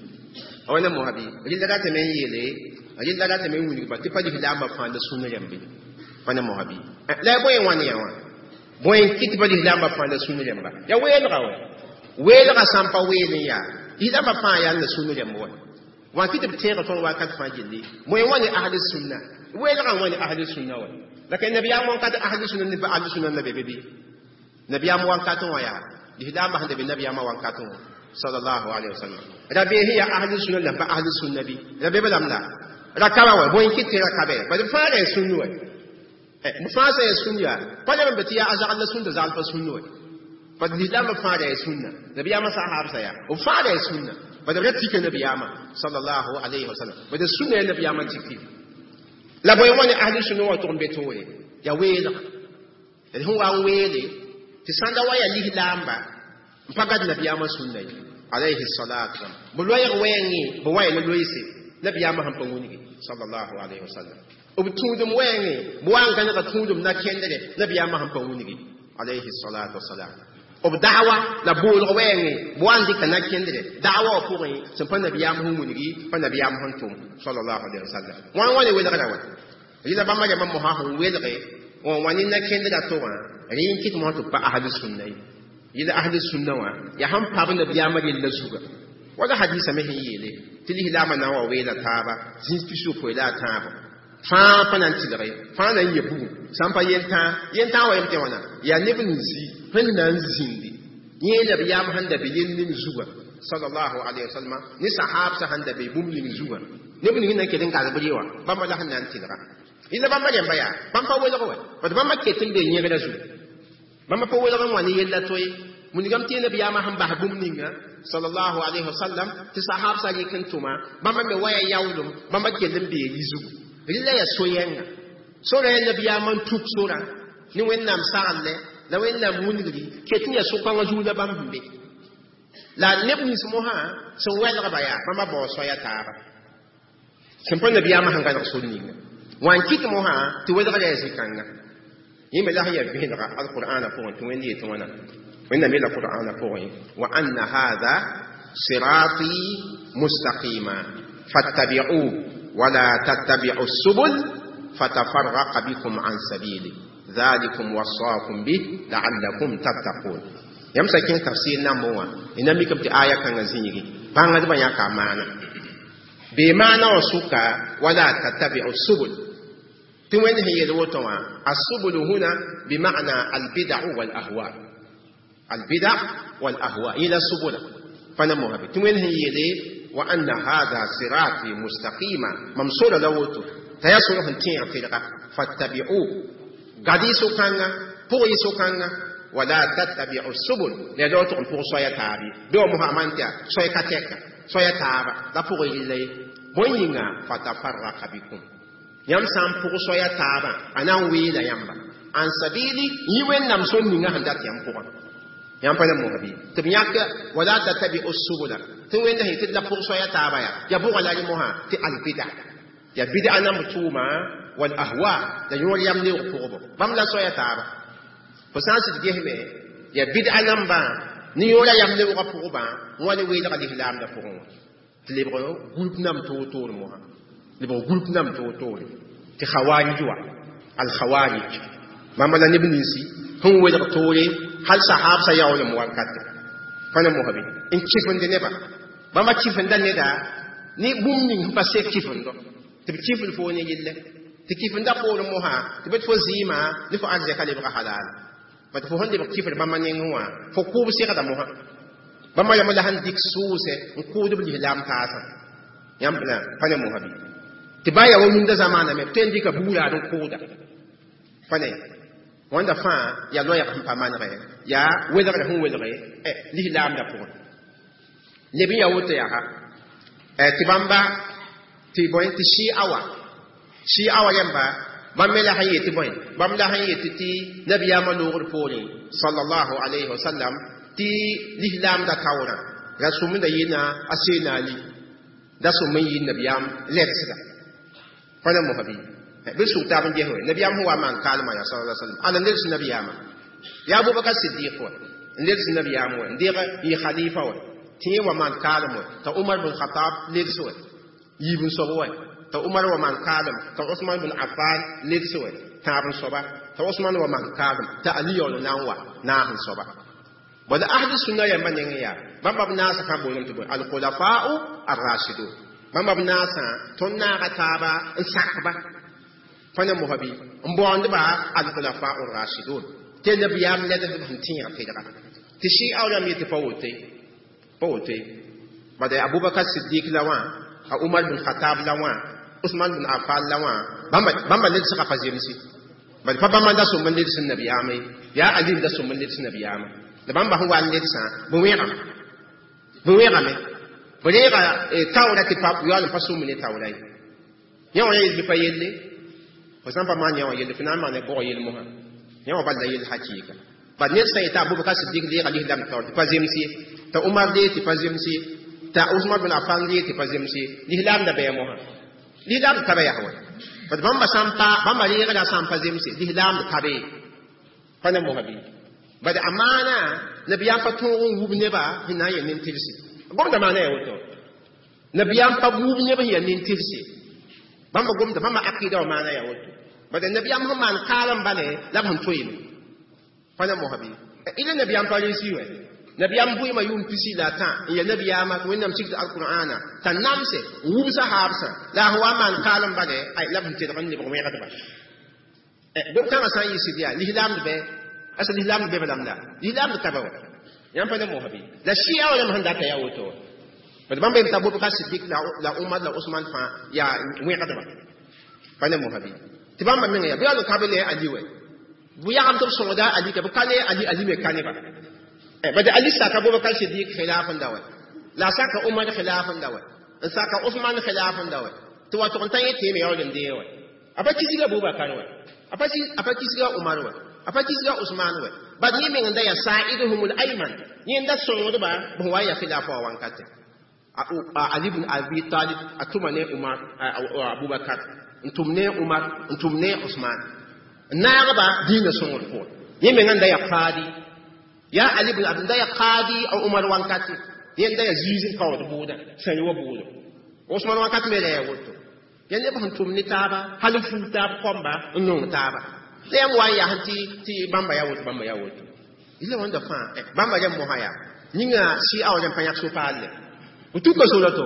a wa ne mosa bɩ rɩlla ratame n yeele rɩlla ratame n wilgba tɩ pa lislaambã fãa la sũnna rãmbe pa ne mosa bɩ la ya bõe n wãn yã wã bõe n kɩt pa lislaambã fãa la sũnna rãmba ya weelga wa weelga sã n pa weel n yaa lislaambã fãa yaa la sũnna rãmb wa wã kɩ tɩ b tẽega tõnd wakat fãa gilli bõe n wa ne ahli sunna weelgã n wa ne ahli sunna wa la ka nabiyaam wãnkat ahli sunna ne ahli sunna na be be bɩ nabiyaam wãnkat wã yaa lislaambã sẽn da be nabiyaamã wãnkat wã sallallahu alaihi wasallam ra be sẽn yaa ahli sunna la pa ahli sunna bɩ ra be lam la rakaba wa bõe n kɩt tɩ rakabe bad b fãa ra ya sũnn wa b fãa sã ya sũnn yaa pa leb n be tɩ yaa a zagl la sũnda zagl pa sũnn wa bad lislaambã fãa ra ya sũnna nabiyaamã sahaab sa yaa b fãa ra ya sũnna bad b ra tika nabiyaamã sallallahu alaihi wasallam bad sũnna ya nabiyaamã tiki la bõe wã ne ahli sunna wã tʋg n be toore ya weelga d sẽn wa n weele tɩ sãn da wa ya lislaamba n pa gad nabiyaamã sũnna ye alayhi salatu wasalam b loɛɛg wɛɛngẽ b wa ya la loeese nabiyaamã sẽn pa wĩnge sallallahu alaihi wasallam b tũudum wɛɛngẽ b wa n gãnega tũudum na kẽndre nabiyaamã sẽn pa wĩnge alayhi salatu wasalam b da'wa la boolg wɛɛngẽ b wa n dɩka na kẽndre da'wa wã pʋgẽ sẽn pa nabiyaam sẽn wilgi pa nabiyaam sẽn tʋm sallallahu alaihi wasallam wã n wa ne welgra wa rɩla bãmba rãmbã mosã sẽn welge wã wã ne na kẽndra to wã rẽ n kɩt mosã tɩ b pa ahli sunna ye yɩla ahli sunna wã yaa sẽn pab nabiyaamã rella zuga wala hadisa me sẽn yeele tɩ lislaamã na n wa weela taaba zĩis pis-yopoe la a tãabo fãa pa na n tɩlge fãa na n yɛ bugum sã n pa yel-tãa yel-tãa wa yem tɩ wãna yaa neb n zi sẽn na n zĩndi yẽ nabiyaam sẽn da be yel ning zuga sallallahu alaihi wasallam ne sahabsa sẽn da be bũmb ning zuga neb ning na n ket n gasb rɩ wã bãmba la sẽn na n tɩlga yẽla bãmba rẽmba yaa bãmb pa welg wa bad bãmba ket n be yẽgrã zugu bãmba pa welg n wã ne yella to ye wilgame tɩ nabiyaamã sẽn bas bũmb ninga sallallahu alaihi wasallam tɩ sahabsã rɩk n tʋma bãmba me waya yaoolem bãmba kell n bee yi zugu rɩla yaa so-yɛnga sora yaa nabiyaamã n tuk sora ne wẽnnaam saglle la wẽnnaam wilgri ket n yaa so-kãngã zug la bãmb sẽn be la neb nins mosã sẽn wɛlgba yaa bãmba bao soaya taaba sẽn pa nabiyaamã sẽn gãneg sor ninga wã n kɩt mosã tɩ welgra yaa zĩ-kãnga yẽ me la sẽn yaa vẽenega alqur'ana pʋgẽ tɩ wẽnd yetɩ wãna wẽnnaam yeela qur'ana pʋgẽ wa anna hada sirati mustaqima fattabi'u wala tattabi'u subul fatafarraqa bikum an sabili dhalikum wasaakum bih la'allakum tattaqun yãmb sã kẽng tafsir nambẽ wã y na mikame tɩ aya kãngã zĩigi bãngdbã yãka a maana bee maana wã sʋka wala tattabi'u subul tɩ wẽnd sẽn yeel woto wã asubul huna bima'na albida'u walahwa albida walahwa yẽla subula pa na mosã be tɩ wẽnd sẽn yeele wa anna hada sirati mustaqima mam sora la woto t'a yaa sor sẽn tẽeg tɩlga fattabi'u gad y so-kãnga pʋg y so-kãnga wala tattabi'u subul la yaa tʋg n pʋg soaya taab ye bɩ wa mosã a maan tɩ yaa soay ka tɛka soaya taaba la pʋg y rɩlla ye bõe yĩnga fatafarraka bikum yãmb sã n pʋg soaya taabã a na n weela yãmba an sabili yĩ wẽnnaam sor ninga sẽn dat yãmb pʋgã yãmb pa na mosã bɩ tɩ b yãk wala tattabi'u subula tɩ wẽnda sẽn tɩ la pʋg soaya taaba yaa yaa bʋga la rẽ mosã tɩ albida ya bid'a nam tʋʋma wal ahwa la yõor yam neoog pʋgbo bãmb la soaya taaba fo sã n sɩd gesme ya bid'a nambã ne yõora yam neoogã pʋgbã wã ne weelga lislaamdã pʋgẽ wã tɩ lebg gũlp nam toor-toor mosã lebg gũlp nam toor-toore tɩ khawarij wa al-khawarij bãmba la neb ninsi sẽn welg toore hal sahabsã yaoolem wankate pa na mosã bɩ n kɩfende neba bãmba kɩfenda neda ne bũmb ning sẽn pa sek kɩfendo tɩ b kɩfd fo ne yelle tɩ kɩfenda poorẽ mosã tɩ bɩ fo zɩɩmã ne fo arzɛka lebga halal bat fo sẽn lebg kɩfd bãmba nengẽ wã fo kʋʋb segda mosã bãmba yam la sẽn dɩk sʋʋsɛ n kʋʋd b lislaam taasã Yãmb la pa ne mosã bɩ tɩ ba yaa wa yũnda zamaana me b tõe n dɩka bugraad n kʋʋda pa ne wãnda fãa yaa loɛɛg sẽn pa manegɛ yaa welgrã sẽn welge lislaamdã pʋgẽ leb n yaa woto yaa tɩ bãmba tɩ bõe tɩ sɩa wa sɩa wa yãmba bãmb me la sẽn yet bõe bãmb la sẽn yet tɩ nabiyaamã loogr poorẽ sallallahu alayhi wa sallam tɩ lislaamdã taoorã ra sũmda yɩna a seena ali da sũm n yɩ nabiyaam ledsga pa na mosã bɩ bɩ sug taab n ges we nabiyaam sẽn wa n maan kaalmã yaa sala sallam ala n leds nabiyaamã yaa abubakar sidiq wa n leds nabiyaam wa n deeg yɩ khalifa wa tɩ yẽ wa maan kaalem wa t'a umar bin khatab leds wa yiib n soab wa t'a umar wa maan kaalem t'a usman bin affan leds wa tãab n soaba t'a usman wa maan kaalem t'a ali yaool na n wa naas n soaba bala ahli sunna yãmba nengẽ yaa bãmba b naasã fãa boolame tɩ bõe alkhulafa'u arrashidun bãmba b naasã tõnd naaga taaba n sakba pa ne mosã bɩ n baoondba alkhulafa'u rashidun tɩ nabiyaam ledsd b sẽn tẽeg tɩlga tɩ sɩa rãmb yetɩ pa woto pa woto bala abubakar siddik la wã a umar bin khatab la wã usman bin affan la wã bãmba bãmba ledsga pa zemse bala pa bãmba da sõm n leds nabiyaamã ye yaa ali n da sõm n leds nabiyaamã la bãmba sẽn wa n ledsã bɩ wẽgame bɩ wẽgame b reega taoora tɩ pa yaool n pa sõm ne taoora ye yã wã yel bɩ pa yelle fo sã n pa maan yã wã yelle fo na n maana bʋg yel mosã yã wã bal la yell hakɩɩka bal ned sã yeta abubakar sidik leega lislaam taoor tɩ pa zems ye t'a umar lee tɩ pa zems ye t'a usman bin affan lee tɩ pa zems ye lislaam da bɛɛ mosã lislaam da taba yaa wa bad bãmba sã n pa bãmba reegda sã n pa zemse lislaam da tabe pa ne mosã bɩ bad amaana nabiyaam pa tõog n wub neba sẽn na n yaa nin-tɩrse gomda maana yaa woto nabiyaam pa wub neb sẽn yaa nin-tɩrse bãmba gomda bãmba akida wã maana yaa woto bad nabiyaam sẽn maan kaalem bale la b sẽn toeeme pa ne mosã bɩ ila nabiyaam pa rɩs wɛ nabiyaam bʋɩɩmã yʋʋm pisi la a tã n yaa nabiyaamã tɩ wẽnnaam sigd alqur'ana t'a namse n wub sahaabsã la a sẽn wa n maan kaalem bale ay la b sẽn tedg n lebg wẽgdba gom-kãngã sã n yɩ sɩd yaa lislaamd bɛ asa lislaamd be balam la lislaamd ka ba wa yãmb pa ne mosã bɩ la sɩa wa yãmb sẽn data yaa woto wa bad bãmb yem t'a Abubakar Siddik la la Umar la Usman fãa yaa wẽgdba pa ne mosã bɩ tɩ bãmba mengã yaa bɩ yaool n ka be ne Ali wɛ bɩ yagem tɩ b sõgda Ali ka bɩ ka ne Ali Ali me ka neba bad Ali saka Abubakar Siddik khilaf n da wɛ la a saka Umar khilaf n da wɛ n saka Usman khilaf n da wɛ tɩ wa tʋg n tã yẽ teeme yaool n dee wɛ a pa kisga Abubakar wɛ a pa kisga Umar wɛ a pa kisga Usman wɛ bad yẽ meng n da yaa sa'iduhum al-ayman yẽ n da sõngdba b sẽn wa n yaa khilafa wã wankate Ali ibn Abi Talib a tʋma ne Umar Abubakar n tʋm ne Umar n tʋm ne Usman n naagba dĩinã sõngr pʋgẽ yẽ mengã n da yaa qaadi yaa Ali ibn Abi n da yaa qaadi a Umar wankate yẽ n da yaa ziiz n kaood bʋʋdã sẽn wa bʋʋdo Usman wakat me la yaa woto yaa neb sẽn tʋm ne taaba hal n fuug taab kõmba n nong taaba la yãmb wa n yaa tɩ tɩ bãmba yaa woto bãmba yaa woto ila wãnda fãa bãmba rẽmb mosã yaa yĩnga sɩa wa rẽmb pa yãk so-paalle b tuka sora to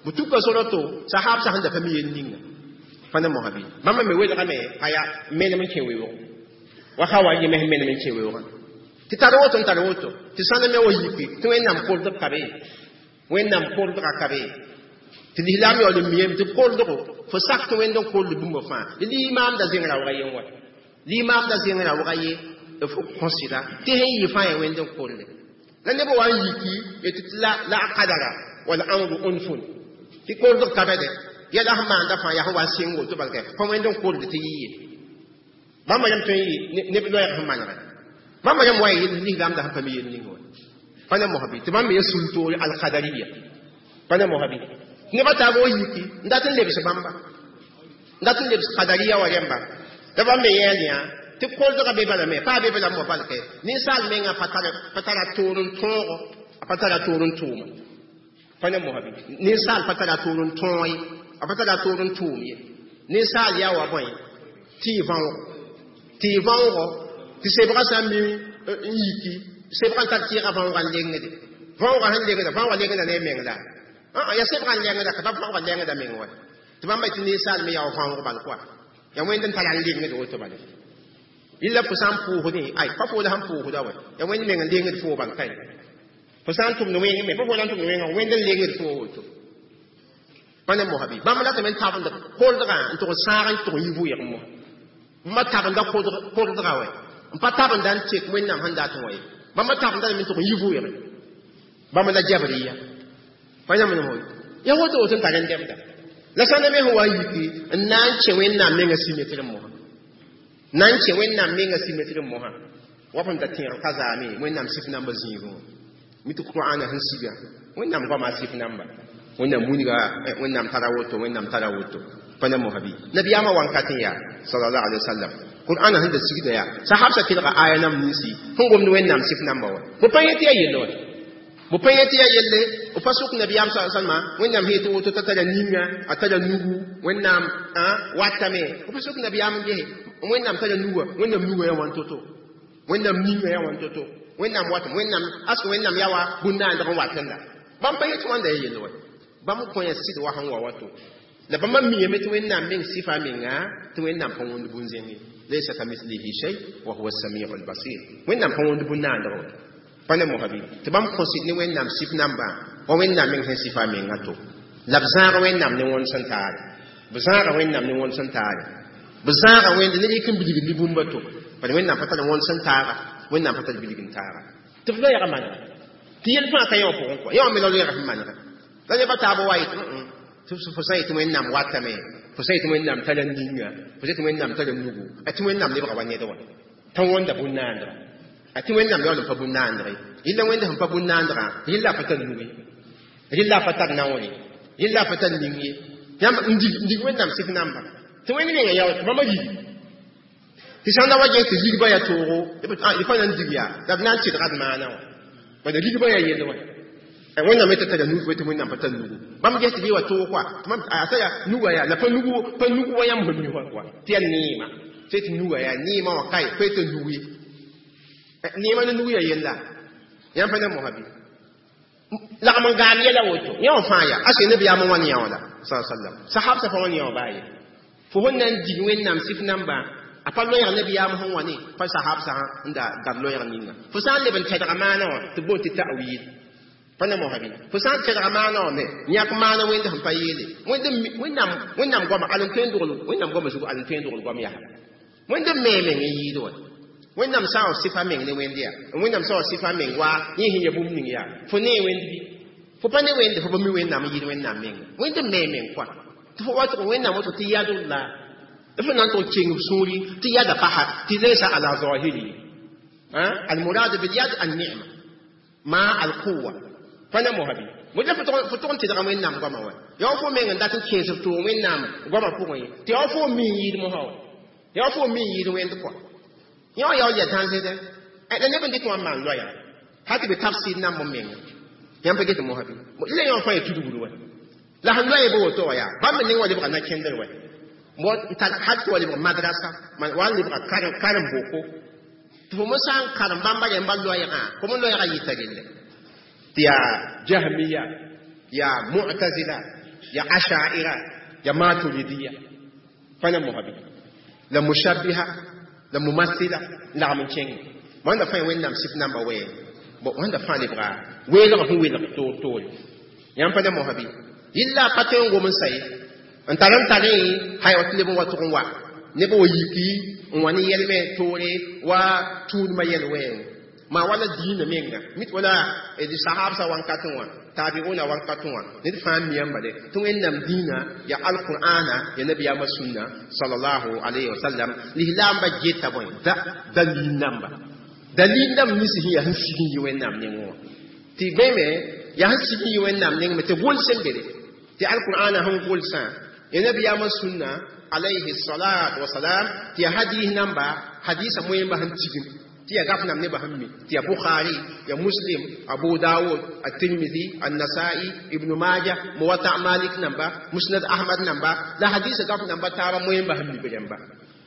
b tuka sora to sahab sã sẽn da pa mi yel ninga pa ne mosã bɩ bãmba me welgame aya menem n kẽ weoog wa hawa yẽ me sẽn menem n kẽ weoogã tɩ tar woto n tar woto tɩ sãn me wa yiki tɩ wẽnnaam koldg ka be wẽnnaam koldga ka be tɩ lislaam yaool n miyame tɩ koldgo fo sak tɩ wẽnd n kold bũmb fãa limaamda zẽng raooga yen wa limaamda zẽng raooga ye f kõsɩda tɩ sẽn yɩ fãa yaa wẽnd n kolde la neb wa n yiki tɩ la la a kadara wala amru unfun tɩ koldg ka bɛdɛ yɛla sẽn maanda fãa yaa sẽn wa n sɩng woto balkɛ pa wẽnd n kolde tɩ yɩ ye bãmba yãmb tõe n yɩ neb loɛɛg sẽn manegɛ bãmba yãmb wa n yel lislaamda sẽn pa mi yel ning wa pa ne mosã bɩ tɩ bãmb me sul toore alkadariya pa ne mosã bɩ nebã taab wa yiki n dat n lebs bãmba n dat n lebs kadariya wa rẽmba la bãmb me yɛɛl yã tɩ koldgã be bala me paa be bala mo balkɛ ninsaal mengã pa tara toor n tõogo a pa tara toor n tʋʋma pa ne mosã bɩ ninsaal pa tara toor n tõog ye a pa tara toor n tʋʋm ye ninsaal yaa wa bõe tɩ y võogo tɩ y võoogo tɩ sebgã sã n mi n yiki sebgã n tar tɩɩgã võoogã n lengde võoogã sẽn lengda võoogã lengda ne a meng la yaa sebgã n lengda ka pa võoogã lengda meng wa tɩ bãmba tɩ ninsaal me yaa wa võoog bal koa yaa wẽnd n tara n lengd woto bale illa fo sã n pʋʋsdẽ ay pa fo la sẽn pʋʋsda wa yaa wẽnd meng n lengd foo bal kae fo sã n tʋmd wẽng me pa fo la n tʋmd wẽngã wẽnd n lengd foo woto Pa ne mosa bɩ bãmb ratame n tabend koldgã n tʋg n sãag n tʋg n yi vʋʋg mosa bãmba tabenda koldga wɛ n pa tabenda n tek wẽnnaam sẽn dat n wa ye bãmba tabenda lame n tʋg n yi vʋʋge bãmb la jabriya pa yãmb ne moy ya woto woto n tar n dɛbda la sã ne me sẽn wa n yiki n na n kẽ wẽnnaam menga simetr mosa na n kẽ wẽnnaam menga simetr mosa wa f da tẽeg ka zaame wẽnnaam sɩf namba zĩigẽ wã mi tɩ qur'ana sẽn siga wẽnnaam goama sɩf namba wẽnnaam wilga wẽnnaam tara woto wẽnnaam tara woto pa na mosa bɩ nabiyaamã wankat n yaa sallallahu alaihi wasallam qur'ana sẽn da sigda yaa sahabsa kelga aya nam ninsi sẽn gomd wẽnnaam sɩf namba wa bõ pa yẽ tɩ yaa yell wa bõ pa yẽ tɩ yaa yelle b pa sʋk nabiyaam sa salma wẽnnaam sẽn yetɩ woto t'a tara ninga a tara nugu wẽnnaam watame b pa sʋk nabiyaam n gese wẽnnaam tara nuga wẽnnaam nuga yaa wãn to-to wẽnnaam ninga yaa wãn to-to wẽnnaam watame wẽnnaam ask wẽnnaam yaa wa bũn-naandg n watẽnda bãmb pa yẽ tɩ wãnda yaa yell wa bãmb kõ ya sɩd wa sẽn wa wato la bãmba miame tɩ wẽnnaam meng sɩfa menga tɩ wẽnnaam pa wõnd bũn-zẽng ye laysa kamithlihi shay wa huwa as-sami'u al-basir wẽnnaam pa wõnd bũn-naandg wa pa ne mosa bɩ tɩ bãmb kõ sɩd ne wẽnnaam sɩf namba wa wẽnnaam meng sẽn sɩfa menga to la b zãag wẽnnaam ne wõnd sẽn taare b zãaga wẽnnaam ne wõnd sẽn taare b zãaga wẽnde ne yik n bilgd ne bũmba to bala wẽnnaam pa tar wõnd sẽn taaga wẽnnaam pa tar bilg n taaga tɩ b loɛɛga manega tɩ yel fãa ka yẽ wã pʋgẽ kɔa yẽ wã me la loɛɛga sẽn manega la nebã taab wa yetɩ tɩ fo sã yetɩ wẽnnaam watame fo sã yetɩ wẽnnaam tara ninga fo sã yetɩ wẽnnaam tara nugu a tɩ wẽnnaam lebga wa ned wã t'a wõnda bũn-naandga a tɩ wẽnnaam yaool n pa bũn-naandg ye yella wẽnda sẽn pa bũn-naandgã yella a pa tar nug ye yella a pa tar naoor ye yella a pa tar ning ye yãmb n dig wẽnnaam sɩf namba tɩ wẽnd menga yaool tɩ bãmba yigi tɩ sãn da wa ges tɩ rigba yaa toogo d pa na n dig yaa la b na n tɩdga d maana wã bala rigba yaa yell wã wẽnnaam t'a tara nug tɩ wẽnnaam pa tar nugu bãmb ges tɩ bɩ wa toog kɔa a tara nuga yaa la pa nugu pa nugu wa yãmb sẽn mi wã kɔa tɩ yaa neema tɩ tɩ nuga yaa neema wã kae pa tɩ nug ye neema ne nug yaa yella yãmb pa ne mosa bɩ lagm n gaam yɛla woto yẽ wã fãa yaa ase nabiyaam n wãn yã wã la sa sallam sahabsã pa wãn yã wã baa ye fo sẽn na n dig wẽnnaam sɩf namba a pa loɛɛg nabiyaam sẽn wa ne pa sahabsã n da dar loɛɛg ninga fo sã n leb n tɛdga maana wã tɩ boon tɩ ta'wil pa ne mosa bɩ fo sã n tɛdga maana wã me yãk maana wẽnd sẽn pa yeele wẽnnaam wẽnnaam goama al n tõe n dogl wẽnnaam goama zugu al n tõe n dogl goam yaa wẽnd n mee meng n yɩɩd wa wẽnnaam sã n wa sɩfa meng ne wẽnd yaa wẽnnaam sã n wa sɩfa meng wa yẽ sẽn ya bũmb ning yaa fo nee wẽnd bɩ fo pa ne wẽnde fo pa mi wẽnnaam n yɩɩd wẽnnaam menga wẽnd n mee meng kɔa tɩ fo wa tɩ wẽnnaam woto tɩ yadullah fo na n tʋg keng b sũuri tɩ yada pa tɩ laysa ala zahiri المراد باليد النعمة مع القوة pa ne mosa bɩ mo fo tʋg n tɩdga wẽnnaam goama wa yaa fo meng n dat n kẽes b tʋʋg wẽnnaam goama pʋgẽ ye tɩ yaa fo mi n yɩɩd mosã wa yaa fo mi n yɩɩd wẽnd kɔa yẽ wã yaool yaa dãnsdɛ la neb n dɩk wã n maan loɛɛga hal tɩ bɩ tafsir namb n menga yãmb pa get mosã bɩ la yẽ wã fãa ya tudgd wa la sẽn loɛɛ bo woto wã yaa bãmb neng wã lebga na-kẽndr wɛ hal tɩ wa lebg madrasa wa n lebga karen-boko tɩ fo mo sã n karem bãmba rẽmba loɛɛgã fo mo loɛɛgã yɩta relle tɩ yaa jahmiya yaa mu'tazila ya ashaira ya maturidiya pa ne mosã bɩ la mushabbiha la mumathila lagm n kẽnge wãnda fãa wẽnnaam sɩf namba wɛɛng wãnda fãa lebga weelg sẽn welg toor toore yãmb pa ne mosã bɩ yilla a pa tõe n gom n sa ye n tar n tarẽ hay wa tɩ leb n wa tʋg n wa neb wa yiki n wa ne yɛlmɛ toore wa tũudmã yɛl wɛɛng maa wala diinã menga mit wala d sahabsã wãnkatẽ wã tabiuna wãnkatẽ wã ned fãa mi yãmba de tɩ wẽnnaam dĩinã ya alqur'ana ya nabiyaamã sũnna sallallahu alayhi wa sallam lislaambã geta bõe da dalil namba dalil namba nins sẽn yaa sẽn sig n yi wẽnnaam nengẽ wã tɩ bẽme yaa sẽn sig n yi wẽnnaam neng me tɩ gʋls n bere tɩ alqur'ana sẽn gʋlsã ya nabiyaamã sũnna alayhi salatu wasalam tɩ ya hadis namba hadisa moẽmba sẽn tigim tɩ ya gaf nam nebã sẽn mi tɩ ya bukhari ya muslim abu dawud at-tirmidhi an-nasa'i ibn majah muwatta malik namba musnad ahmad namba la hadisa gaf namba taaba moẽmba sẽn mi b rẽmba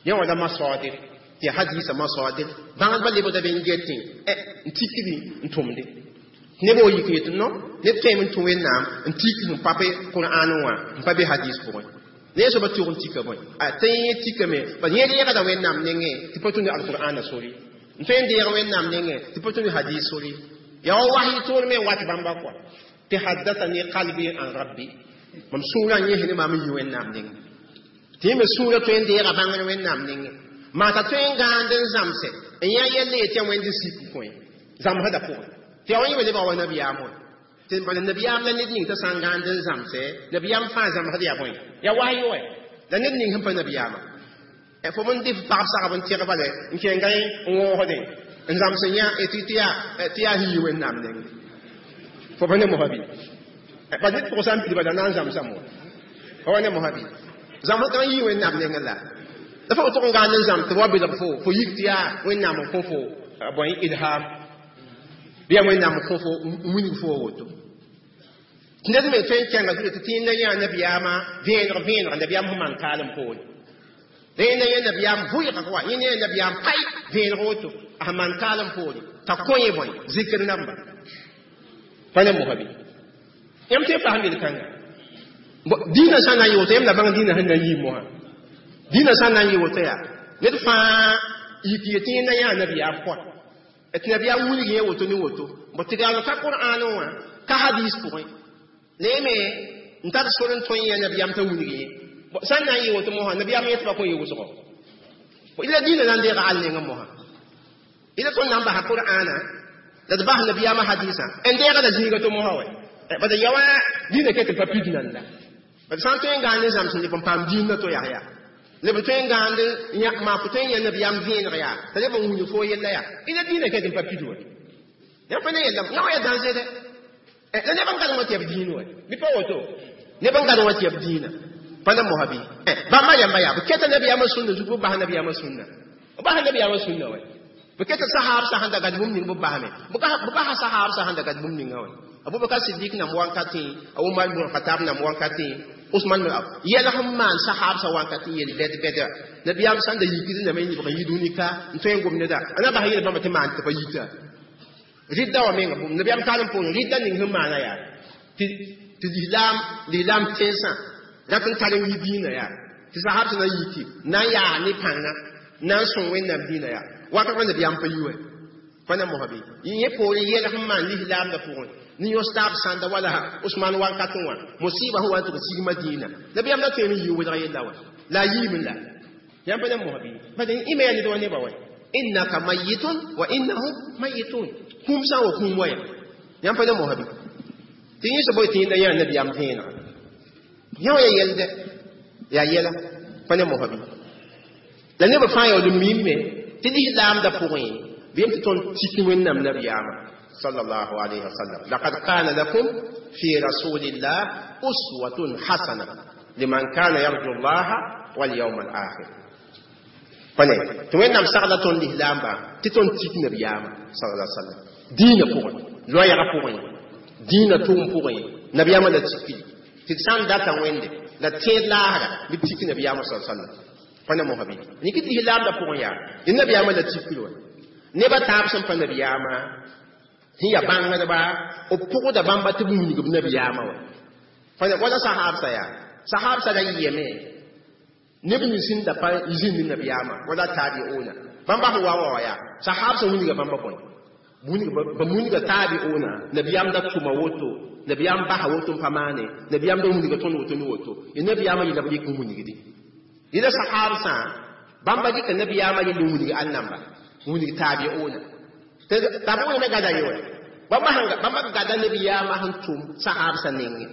yẽ wã la masadir tɩ ya hadisa masadir bãngdbã lebgda be n getẽ n tikdi n tʋmde neb wa yik yetɩ no neb tõeme n tũ wẽnnaam n tik sẽn pa be qur'an wã n pa be hadis pʋgẽ ne soaba tʋg n tika bõe a tɩ yẽ tikame bal yẽ reegda wẽnnaam nengẽ tɩ pa tũni alqur'ana sori n tõe n deeg wẽnnaam nengẽ tɩ pa tũni hadis sori yaa wa wahi toor me n wat bãmba kɔa tɩ haddathani qalbi an rabbi Mam sũurã n yẽs ne maam n yi Wẽnnaam nengẽ. Tɩ yẽ me sũurã tõe n deega bãngr Wẽnnaam nengẽ. Maa t'a tõe n gãand n zãmse n yã yell yetɩ yaa Wẽnd sik n kõ zãmsdã pʋgẽ. Tɩ yaa wa yẽ me lebga wa nabiyaam wã. Tɩ bala nabiyaam la ned ning t'a sã n gãand n zãmse, nabiyaam fãa zãmsd yaa bõe? Yaa wahyo wɛ. La ned ning sẽn pa nabiyaamã. Fo n dɩ f pagb sagb n tẽg bale n kẽnga n wõosdẽ n zãms n yã tɩ yaa tɩ yaa sẽn yi Wẽnnaam nengẽ. Fo pa ne mosã bɩ? Pa ned pʋgã sã n pid bala na n zãmsame wa. Fa wa ne mosã bɩ? Zãmsd n yi Wẽnnaam nengẽ la. La fo tʋg n gãand n zãm tɩ wa belg fo, fo yik tɩ yaa Wẽnnaam n kõ fo bõe ilham. Bɩ yaa Wẽnnaam n kõ fo n wilg fo wa woto. Tɩ ned me tõe n kẽnga zugu tɩ tĩinda yã nabiyaamã vẽeneg vẽeneg nabiyaam sẽn maan kaalem poore. La yẽnda yẽ nabiyaam vʋɩgg wa, yẽnda yẽ nabiyaam pai vẽeneg woto, a sẽn maan kaalem poore, t'a kõ yẽ bõe zikr namba. Pa ne mosã bɩ? Yãmb tõe n paam yel-kãnga. Dĩinã sã n na n yɩ woto, yãmb la bãng dĩinã sẽn na n yɩ mosã. Dĩinã sã n na n yɩ woto yaa, ned fãa yik yetɩ yẽnda yãa nabiyaam pʋgã. Tɩ nabiyaam wilg yẽ woto ne woto. Bõ tɩ gaal ka Qur'an wã, ka hadis pʋgẽ. La yẽ me n tar sor n tõe yã nabiyaam t'a wilg yẽ. Sã n na n yɩ woto mosã, nabiyaam yetɩ pa kõ yɩ wʋsgo. La dĩinã na n deega al nengẽ mosã. Ila tõnd na n basa Qur'ana, la d bas nabiyaamã hadisã, n deega la zĩiga to mosã wɛ. Bala ya wa dĩinã ket n pa pid nanda. Bala sã n tõe n gãand n zãms n leb n paam dĩinã to yaa yaa. Leb n tõe n gãand maa fo tõe n yã nabiyaam vẽeneg yaa, t'a leb n wilg fo yella yaa. Ila dĩinã ket n pa pid wɛ. Yãmb pa ne yella, yã wa yaa dãnse dɛ. La neb n gãd wã tɩ yaa b dĩin wɛ. Bɩ pa woto. Neb n gãd wã tɩ yaa b dĩinã. Pa ne mosã bɩ? Bãmba yamba yaa, b keta nabiyaamã sũnna zugu, b bas nabiyaamã sũnna. B basa nabiyaamã sũnna wɛ. B keta sahab sã sẽn da gad bũmb ning b basame. B basa sahab sã sẽn da gad bũmb ninga wɛ. Abubakar Siddiq nam wankatẽ, a Umar ibn Khattab nam wankatẽ, Usman yɛl sẽn maan sahab sã wankatẽ yel bɛd-bɛda. Nabiyaam sã n da yikd lame n yibg n yi dũni ka n tõe n gom neda. A na bas yel bãmba tɩ maan tɩ pa yita. Rɩdda wã menga bũmb nabiyaam kaalem poorẽ rɩdda ning sẽn maana yaa tɩ lislaam lislaam tẽnsã rat n tar n yi dĩinã yaa tɩ sahab sã na yiki na n yaa ne pãnga na n sõng Wẽnnaam dĩinã yaa wakat wã nabiyaam pa yi wɛ. Pa na mosã bɩ? Yẽ poorẽ yɛl sẽn maan lislaamdã pʋgẽ ne yõs taab sãnda wala Usman wankatẽ wã musiba sẽn wa n tʋg sig Madina. Nabiyaam la tõeme n yɩ welg yella wã. La a yiime la. Yãmb pa na mosã bɩ? Bala ĩma yaa ned wa nebã wɛ. Innaka mayitun wa innahum mayitun. Kũum sã n wa kũum wa ya. Yãmb pa na mosã bɩ? Tɩ yẽ soab tɩ yẽnda yã nabiyaam vẽenega. Yã wa yaa yɛldɛ, yaa yɛla, pa ne mosã bɩ? La nebã fãa yaool n miime tɩ lislaamdã pʋgẽ bɩ tɩ tõnd tik Wẽnnaam nabiyaamã sallallahu alayhi wa sallam. Laqad kana lakum fi rasulillah uswatun hasana liman kana yarju Allah wal yawm al akhir. Pa ne tɩ Wẽnnaam sagla tõnd lislaamba tɩ tõnd tik nabiyaamã sallallahu alayhi wa sallam. Dĩinã pʋgẽ, loɛɛgã pʋgẽ, dĩinã tʋʋm pʋgẽ, nabiyaamã la tikri. Tɩ d sã n data Wẽnde la tẽed laasra bɩ tik nabiyaamã sallallahu alayhi wa sallam. Pa ne mosã bɩ? Yĩk tɩ lislaamdã pʋgẽ yaa, dẽ nabiyaamã la tikri wã. Nebã taab sẽn pa nabiyaamã sẽn yaa bãngdba, b pʋgda bãmba tɩ b wilg b nabiyaamã wã. Pa wala sahabsã yaa, sahabsã ra yɩyame neb nins sẽn da pa zĩnd nabiyaamã wala taabiuna. Bãmba sẽn wa wa yaa, sahabsã wilga bãmba bõe? Ba wilga taabiuna, nabiyaam da tʋma woto, nabiyaam basa woto n pa maane, nabiyaam da wilga tõnd woto ne woto. Ya nabiyaamã yella b rɩk n wilgdi. Yẽla sahabsã, bãmba dɩka nabiyaamã yell n wilg ãnnamba, n wilg taabiuna. Taabiuna me gada ye wɛ. Bãmba bãmba gada nabiyaamã sẽn tʋm sahabsã nengẽ.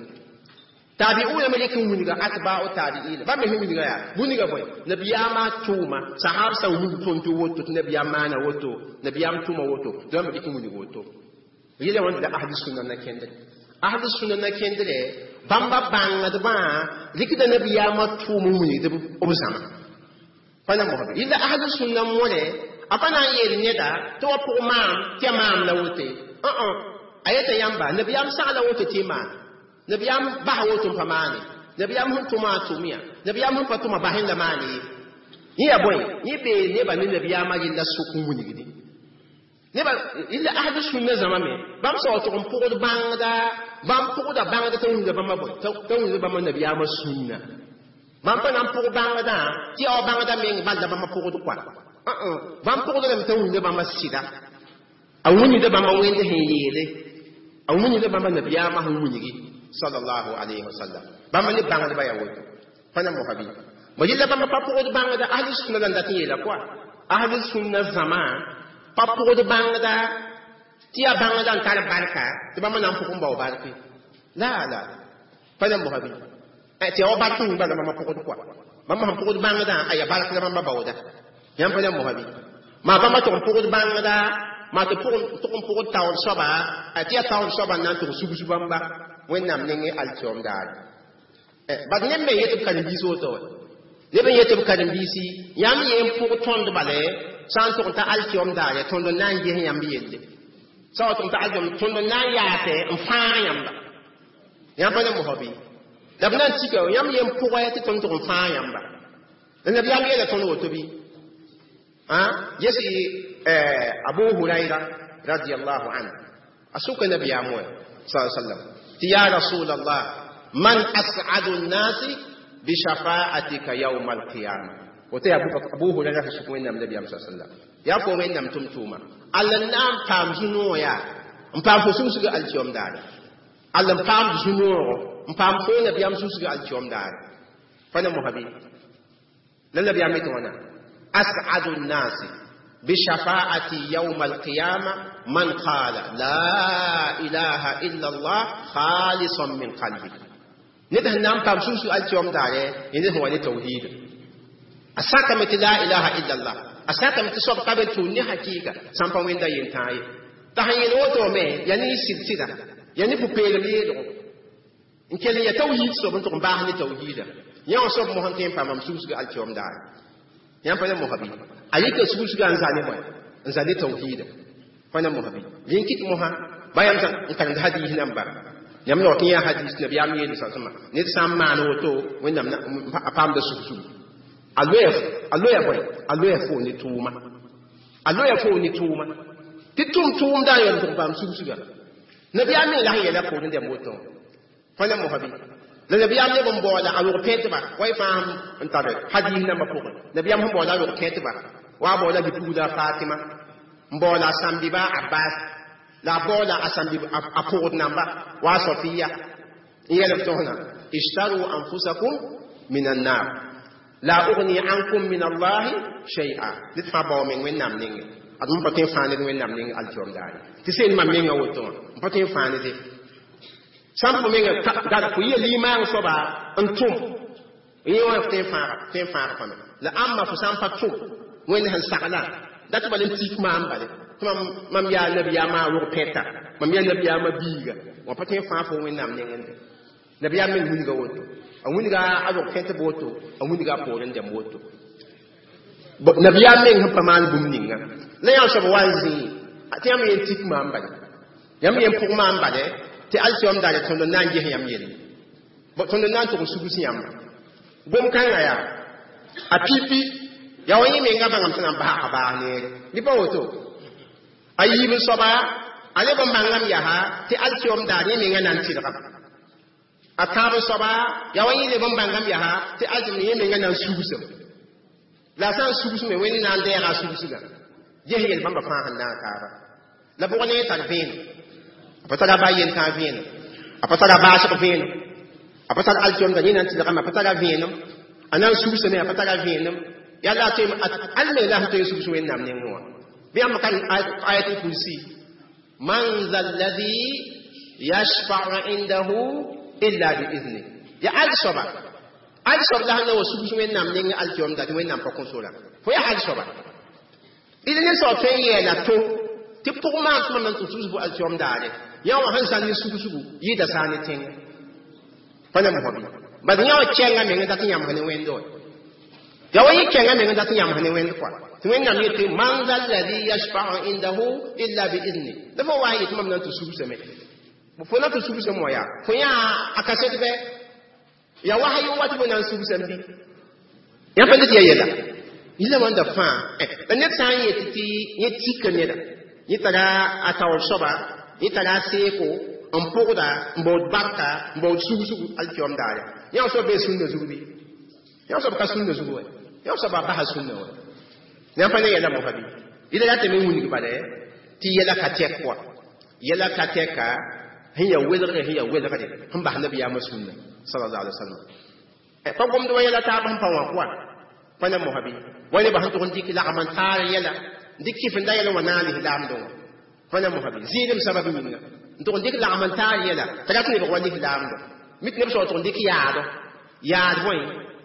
Taabiuna me rɩk n wilga atba'u taabiina. Bãmb me sẽn wilga yaa, wilga bõe? Nabiyaamã tʋʋma, sahabsã wilg tõnd tɩ woto, tɩ nabiyaam maana woto, nabiyaam tʋma woto, tɩ bãmb rɩk n wilg woto. Yɛla wãnda la ahli sunna na kẽndre. Ahli sunna na kẽndre, bãmba bãngdbã rɩkda nabiyaamã tʋʋm n wilgd b zãma. Pa na mosã bɩ? Yẽla ahli sunna mõre, a pa na n yeel neda tɩ wa pʋg maam tɩ yaa maam la wote. A yeta yãmba, nabiyaam sagla woto tɩ y maan. Nabiyaam basa woto n pa maane. Nabiyaam sẽn tʋma a tʋm yã. Nabiyaam sẽn pa tʋma basẽ la maane ye. Yẽ yaa bõe? Yẽ bee nebã ne nabiyaamã yella sʋk n wilgdi. Nebã yella ahli sunna zãma me, bãmb sã wa tʋg n pʋgd bãngda, bãmb pʋgda bãngda t'a wilgda bãmba bõe? T'a wilgda bãmba nabiyaamã sũnna. Bãmb pa na n pʋg bãngdã tɩ yaa wa bãngda meng bal la bãmba pʋgd koa. Bãmb pʋgd lame t'a wilgda bãmba sɩda. A wilgda bãmba Wẽnd sẽn yeele. A wilgda bãmba nabiyaamã sẽn wilgi sallallahu alayhi wa sallam. Bãmb ne bãngdbã yaa woto pa na mosa bɩ bõ yella bãmb pa pʋgd bãngda ahli sunna la n dat n yeela kɔa ahli sunna zãma pa pʋgd bãngda tɩ yaa bãngda n tar barka tɩ bãmb na n pʋg n bao barke la la pa na mosa bɩ tɩ yaa wa bark ning bala bãmb pʋgd kɔa bãmb sẽn pʋgd bãngdã a yaa bark la bãmba baooda yãmb pa na mosa bɩ maa bãmba tʋg n pʋgd bãngda maa tɩ tʋg n pʋgd taoor soaba tɩ yaa taoor soaba n na n tʋg sugs bãmba wẽnnaam nengẽ alkiom daare bad neb me yet b karen-biis woto wa neb n yet b karen-biisi yãmb yẽ n pʋg tõnd bale sã n tʋg n ta alkiom daare tõnd n na n ges yãmb yelle sã wa tʋg n ta alkiom tõnd n na n yaate n fãag yãmba yãmb pa ne mosã bɩ la b na n tika yãmb yẽ n pʋgɛ tɩ tõnd tʋg n fãag yãmba la nabiyaam yeela tõnd woto bɩ yesi abu huraira radiallahu anhu a sʋka nabiyaam wa sa sallam tɩ ya rasulallah man as'adu nnasi bishafa'atika yawma alqiyama woto yaa abu huraira sẽn sʋk wẽnnaam nabiyaam sa sallam yaa fo wẽnnaam tʋm-tʋʋma alla n na n paam zu-noog yaa n paam fo susga alkiyom daare alla n paam zu-noogo n paam fo nabiyaam susga alkiyom daare pa na mosã bɩ la nabiyaam yetɩ wãna أسعد الناس بشفاعتي يوم القيامة من قال لا إله إلا الله خالصا من قلبه نده نام بام سوسو اليوم داري ينده هو توحيد أساك مت لا إله إلا الله أساك مت صوب قبل توني حقيقة سامبا وين دا ينتاي تهين وتو مي يعني سلسلة يعني بوبيل ميدو إن كان يتوحيد صوب انتم باهني توحيد يا صوب مهنتين بام سوسو اليوم داري yãmb pa ne mosã bɩ a yika sugsuga n za ne bõe n za ne tawhiida pa ne mosã bɩ rẽn kɩt mosã ba yãmb n karemd hadis namba yãmb yaoot n yã hadis nabiyaam yeel sã ned sã n maan woto wẽnnaam a paamda sugsugu a loya a loya bõe a loya foo ne tʋʋma a loya foo ne tʋʋma tɩ tʋm tʋʋmda n yaool tɩ paam sugsuga nabiyaam me la sẽn yɛla poorẽ dɛmb woto pa ne mosã bɩ la nabiyaam leb n baooda a rog pẽtba wa y fãa n tar hadis nambã pʋgẽ nabiyaam sẽn baooda a rog pẽtba wa a baooda bipugda fatima n baooda a sãmbiba abbas la a baooda a sãmbi a pʋgd namba wa a sofiya n yɛl b tõsna ishtaru anfusakum min annar la ugni ankum min allahi shay'a ned fãa bao meng wẽnnaam nengẽ ad m pa tõe n fãa ned wẽnnaam neng alkiom daare tɩ seen mam menga woto wã m pa tõe n fãa nede sãn fo menga dar fo yɩa limaang soaba n tʋm yẽ wã tõe n fãaga tõe n fãaga pame la ãmba fo sã n pa tʋm wẽnd sẽn sagla dat tɩ bal n tik maam bale tɩ mam mam yaa nabiyaamã rog pẽta mam yaa nabiyaamã biiga wã pa tõe n fãag fo wẽnnaam nengẽ nabiyaam meng wilga woto a wilga a rog pẽtb woto a wilga a poorẽ dɛmb woto nabiyaam meng sẽn pa maan bũmb ninga la yã soab wa n zĩi tɩ yãmb yen tik maam bale yãmb yen pʋg maam bale tɩ alkiom daare tõnd n na n ges yãmb yelle tõnd n na n tʋg n sugs yãmba gom kãngã yaa a pipi yaa wa yẽ menga bãngame tɩ na n basga baas neere bɩ pa woto a yiib n soaba a leb n bãngame yaa tɩ alkiom daar yẽ menga na n tɩlgame a tãab n soaba yaa wa yẽ leb n bãngame yaa tɩ alkiom yẽ menga na n sugsem la a sã n sugsme wẽnd na n dɛɛga a sugsgã ges yel bãmba fãa sẽn naag taaba la bʋg ne tar vẽenem a pa tara ba yentã vẽenem a pa tara baasg vẽenem a pa tar alkiomda yẽ na n tɩlgame a pa tara vẽenem a na n sugsame a pa tara vẽenem yaa la tõe al me la sẽn tõe n sugs wẽnnaam nengẽ wã bɩ yãmb kan ayatul kursi man za alladhi yashfa'u indahu illa bi'izni ya al soaba al soab la sẽn na wa sugs wẽnnaam nengẽ alkiomda tɩ wẽnnaam pa kõ sora fo yaa al soaba d ne soab tõe n yɛɛla to tɩ pʋg maan tɩ mam na n tʋ sugs bʋ alkiom daare yã wã sẽn zãn ne sugsgu yɩɩda saa ne tẽngã pa na mosã bɩ bad yã wã kɛnga meng dat n yãmb ne wẽnd wa ya wa yẽ kɛnga meng dat n yãmb ne wẽnd kɔa tɩ wẽnnaam yetɩ man za alladhi yashfa'u indahu illa bi'izni la fo wa n yetɩ mam na n tɩ sugsame fo na tɩ sugsame wã yaa fo yã a kaset bɛ ya wahayi wat fo na n sugsame bɩ yã pa tɩ ya yɛla yĩla wãnda fãa la ned sã n yet tɩ yẽ tika neda yẽ tara a taoor soaba yẽ tara a seeko n pʋgda n baood barka n baood sugsgu alkiom daare yã soab bee sũnna zug bɩ yã soab ka sũnna zug wa yã soab a basa sũnna wa yãmb pa ne yɛla mosã bɩ yɩla ratame n wilg bala tɩ yɛla ka tɛk wa yɛla ka tɛka sẽn yaa welgre sẽn yaa welgre sẽn bas nabiyaamã sũnna Sallallahu alaihi wasallam pa gomd wa yɛla taab sẽn pa wã pʋa pa ne mosã bɩ wa nebã sẽn tʋg n dɩk lagm n taar yɛla dɩk kɩfenda yɛl wã na n lislaamdẽ wã pa ne mosã bɩ zɩɩdem sabab yĩnga n tʋg n dɩk lagm n taar yɛla t'a rat lebg wa lislaamdõ mit neb soab tʋg n dɩk yaado yaad bõe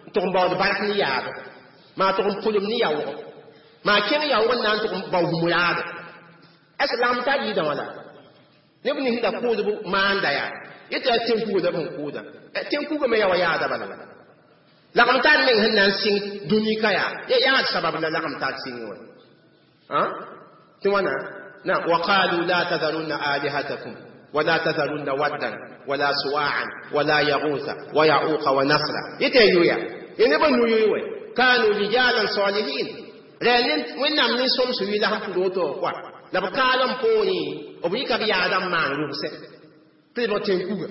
n tʋg n baood bark ne yaado maa tʋg n pʋlem ne yaoogɔ maa kẽng yaoog n na n tʋg n bao hũmraado ãs lagm tar yɩɩdã wã la neb nins da kʋʋdb maanda yaa yetɩ yaa tẽn-kuga la b sẽn kʋʋda tẽn-kuga me yaa wa yaada bala la lagm tar meng sẽn na n sɩng dũni ka yaa ya yaad sabab la lagm tar sɩng wã tɩ wãna na وقالوا لا تذرن آلهتكم ولا تذرن ودا ولا سواعا ولا يغوث ويعوق ونسرا يتيويا ينبا نيوي كانوا رجالا صالحين رأنين وإنهم من سوم سوي لهم فلوتو قوا la b kaalem poorẽ b yɩka b yaadã n maan rʋgsɛ tɩ lebg tẽn-kuga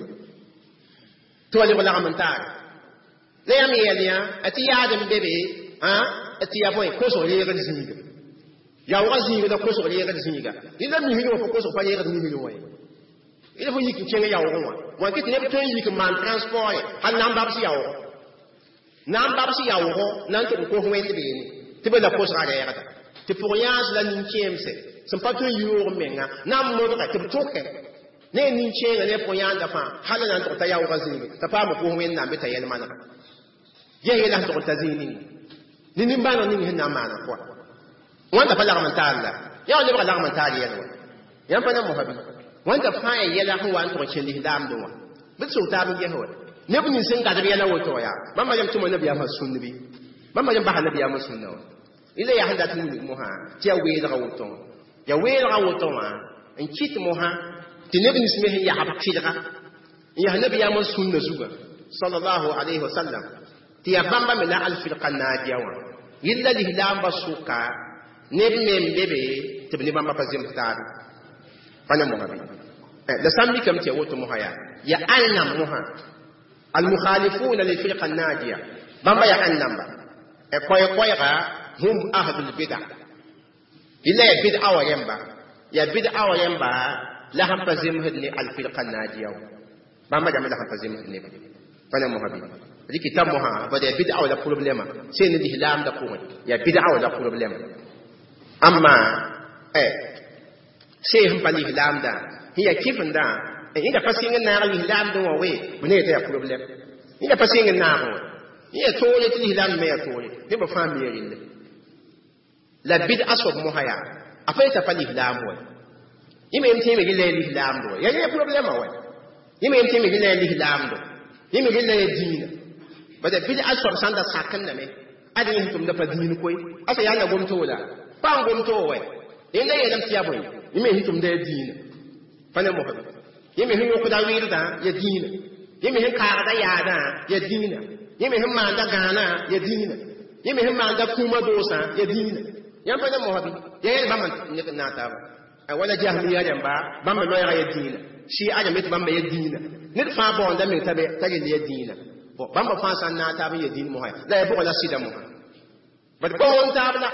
tɩ wa lebg lagm n taare la yãmb yɛl yã tɩ yaad n be be tɩ ya bõe kosg reegd zĩiga yaoogã zĩiga la kosg reegd zĩiga dẽ la misg wã fo kosg pa reegd misg wã ye d fo yik n kẽng yaoogẽ wã wã kɩ tɩ neb tõe n yik n maan transport ye hal na n babs yaoogɔ na n babs yaoogɔ na n tʋg n kos wẽnd beene tɩ be la kosgã reegda tɩ pʋg-yãans la nin-kẽemse sẽn pa tõe n yoog menga na n modge tɩ b tʋke ne nin-kẽengã ne pʋg-yãanda fãa hal na n tʋg t'a yaoogã zĩige t'a paam kos wẽnnaam bɩ t'a yɛl manega ges yɛla sẽn tʋg n ta zĩig ninga ne nimbãaneg ning sẽn na n maana pʋga wãnda pa lagm n taar la yaa wa lebga lagm n taar yɛl wa yãmb pa na mosã bɩ wãnda fãa ya yɛla sẽn wa n tʋg n kẽ lislaamdẽ wã bɩ d sog taab n ges wa neb nins sẽn gadb yɛla woto yaa bãmba yam tʋma nabiyaamã sũnd bɩ bãmba yam basa nabiyaamã sũnda wã ila yaa sẽn dat n wilg mosã tɩ yaa weelga woto wã ya weelga woto wã n kɩt mosã tɩ neb nins me sẽn yasb tɩlga n yas nabiyaamã sũnda zuga sallallahu alayhi wa sallam tɩ yaa bãmba me la alfirqa naadiya wã yella lislaambã sʋka neb me n be be tɩ b ne bãmba pa zems taabe pa ne mosã bɩ la sã n mikame tɩ ya woto mosã yaa ya ãnnam mosã almukhalifuna lilfirqa naadiya bãmba ya ãnnamba koɛ-koɛɛga hum ahlul bida yella ya bid'a wa yẽmba ya bid'a wa yẽmba la sẽn pa zemsd ne alfirqa naadiya wã bãmba dãmba la sẽn pa zemsd neba pa ne mosã bɩ rikita mosã bad ya bid'a wa la problema sẽn ne lislaamdã pʋgẽ ya bid'a wa la problema amma eh sẽn sẽn pa lislaamdã sẽn ya kɩfendã yẽda pa sɩng n naag lislaamdẽ wã we b ne yeta ya problème yẽda pa sɩng n naag wã yẽ ya toore tɩ lislaamd me ya toore nebã fãa me relle la bid'a soab mosã yaa a pa yeta pa lislaam wa yẽ me yem tẽeme rɩla ya lislaamdẽ wa ya yẽ problema wa yẽ me yem tẽeme rɩla ya lislaamdẽ yẽ me rɩla ya dĩinã bada bid'a soab sãn da sakendame ad yẽ sẽn tʋmda pa dĩin koe asa yaa la gom-toog la pa n gom-toog wɛ yẽnda yeelame tɩ yaa bõe yẽ me sẽn tʋmda ya dĩinã pa ne mosã yẽ me sẽn yõkda wɩɩrdã ya dĩinã yẽ me sẽn kaagda yaadã ya dĩinã yẽ me sẽn maanda gãanã ya dĩinã yẽ me sẽn maanda kũumã doosã ya dĩinã yãmb pa ne mosã bɩ ya yɛl bãmb n naag taaba wala jahmiya rãmba bãmb loɛɛga ya dĩinã shia rãmb tɩ bãmba ya dĩinã ned fãa baoonda meng t'a rel ya dĩinã bon bãmba fãa sã n naag taab n ya dĩin mosã la ya bʋga la sɩda mosã bad pa wõn taab la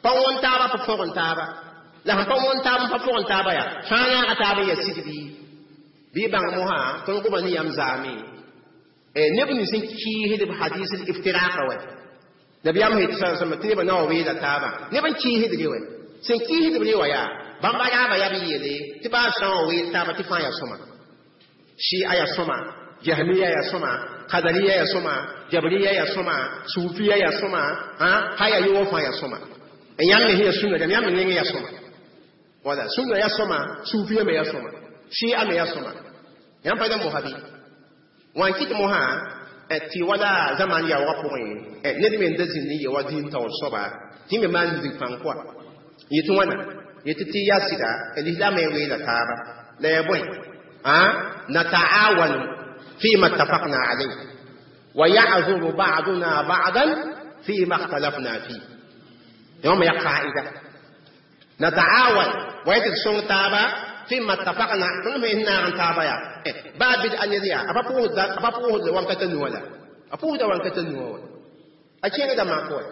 pa wõn taaba pa fõgen taaba la sẽn pa wõn taab n pa fõgen taaba yaa fãa naaga taab n ya sɩd bɩ bɩ bãng mosã tõnd goma ne yam zaame neb nins n kiisd b hadis l iftiraqa wɛ nabiyaam sẽn yetɩ sã tɩ nebã na wa weela taabã neb n kiisd re wɛ sẽn kiisd b re wã yaa bãmba raaba yaa b yeele tɩ baa sã wa weel taaba tɩ fãa yaa sõma shia yaa sõma jahmiya yaa sõma qadariya yaa sõma jabriya yaa sõma suufiya yaa sõma ha yaa yoog fãa yaa sõma n yãmb me sẽn yaa sũnna dãmb yãmb me neng yaa sõma wala sũnna yaa sõma suufiya me yaa sõma shia me yaa sõma yãmb pa da mosã bɩ wã n kɩt mosã tɩ wala zaman yaoogã pʋgẽ ned me n da zĩnd n ye wa dĩin taoor soaba tɩ me maan lisg pãng pʋa yetɩ wãna yetɩ tɩ yaa sɩda lislaamã ya weela taaba la ya bõe nataawanu فيما اتفقنا عليه ويعذر بعضنا بعضا فيما اختلفنا فيه يوم يا قاعدة نتعاون ويتسون تابا فيما اتفقنا كل ما إنا عن تابا يا باب أن يذيع أبا أبا فوه وان كتنولا أفوه وان كتنولا أشياء ده ما قول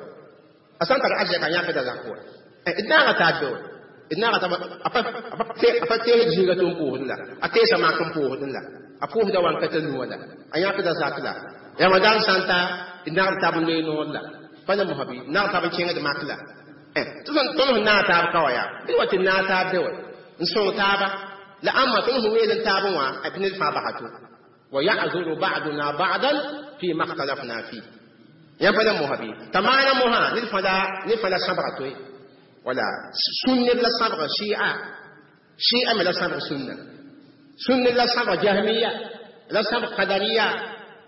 أصلا ترى أجل كان يأخذ ذا قول إدنا تابو D naaga t'a pa teesd zĩiga tɩ n pʋʋsdẽ la a teesa mak n pʋʋsdẽ la a pʋʋsda wankata nuwã la a yãkda zak la ramadan sã n ta d nagd tab n loe noor la pa ne mosã bɩ nagd tab n kẽngd mak la tɩ tõnd sẽn naag taab ka wa yaa bɩ wa tɩ naag taab de wa n sõng taaba la ãmba tõnd sẽn weel n taabẽ wã tɩ ned fãa basa to wa ya'zuru ba'duna ba'dan fi ma اkhtalafna fi yãmb pa ne mosã bɩ t'a maana mosã ned fãa la ned fãa la sãbga toe wala sũn neb la sãbga shia shia me la sãbg sũnna sũn ned la sãbg jahmiya la sãbg qadariya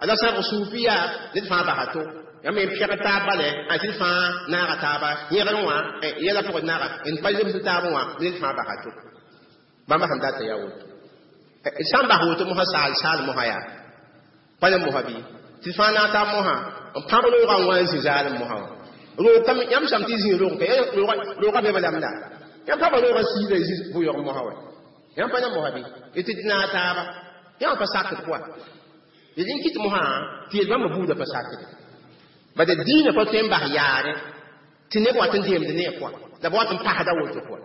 la sãbg suufiya ned fãa basa to yãmb n pɛgd taab bale a tɩ d fãa naaga taaba yẽgr wã yɛla pʋgd naaga n pa zems taabẽ wã ned fãa basa to bãmba sẽn data yaa woto sã n bas woto mosã saal saal mosã yaa pa ne mosã bɩ tɩ fãa naag taab mosã n pãb roogã n wa n zĩ zaalem mosã wã roog kam yãmb sãm tɩ zĩ roog ka roogã be balam la yãmb paba roogã siida zĩ bʋ-yɔg mosã wa yãmb pa ne mosã bɩ tɩ d naag taaba yãmb pa sakd pʋa d n kɩt mosã tɩ yel bãmba buudã pa sakd bad dĩinã pa tõe n bas yaare tɩ neb wat n deemd ne a pʋa la b wat n pasda woto pʋa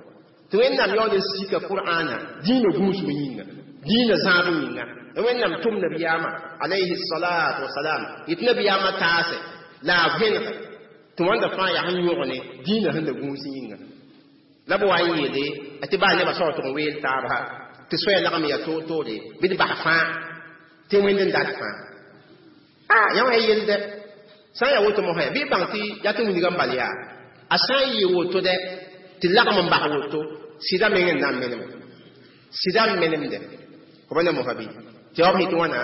tɩ wẽnnaam yaool n sika qur'ana dĩinã gũusg yĩnga dĩinã zãab yĩnga la wẽnnaam tʋm nabiyaamã alayhi salatu wasalam yetɩ nabiyaamã taase la a vẽneg tɩ wãnda fãa yaa sẽn yõgne dĩinã sẽn da gũus yĩnga la b wa n yeele tɩ baa nebã sao tʋg n weel taaba tɩ soaya lagm ya toor-toore bɩ d bas fãa tɩ wẽnd n dat fãa a yã wã yelde sã n yaa woto mosã bɩ bãng tɩ yaa tɩ wilgã n bal yaa a sã n yɩ woto dɛ tɩ lagm n bas woto sɩda meng n na n menem sɩda n menemde fo pa ne mosã bɩ tɩ b yetɩ wãna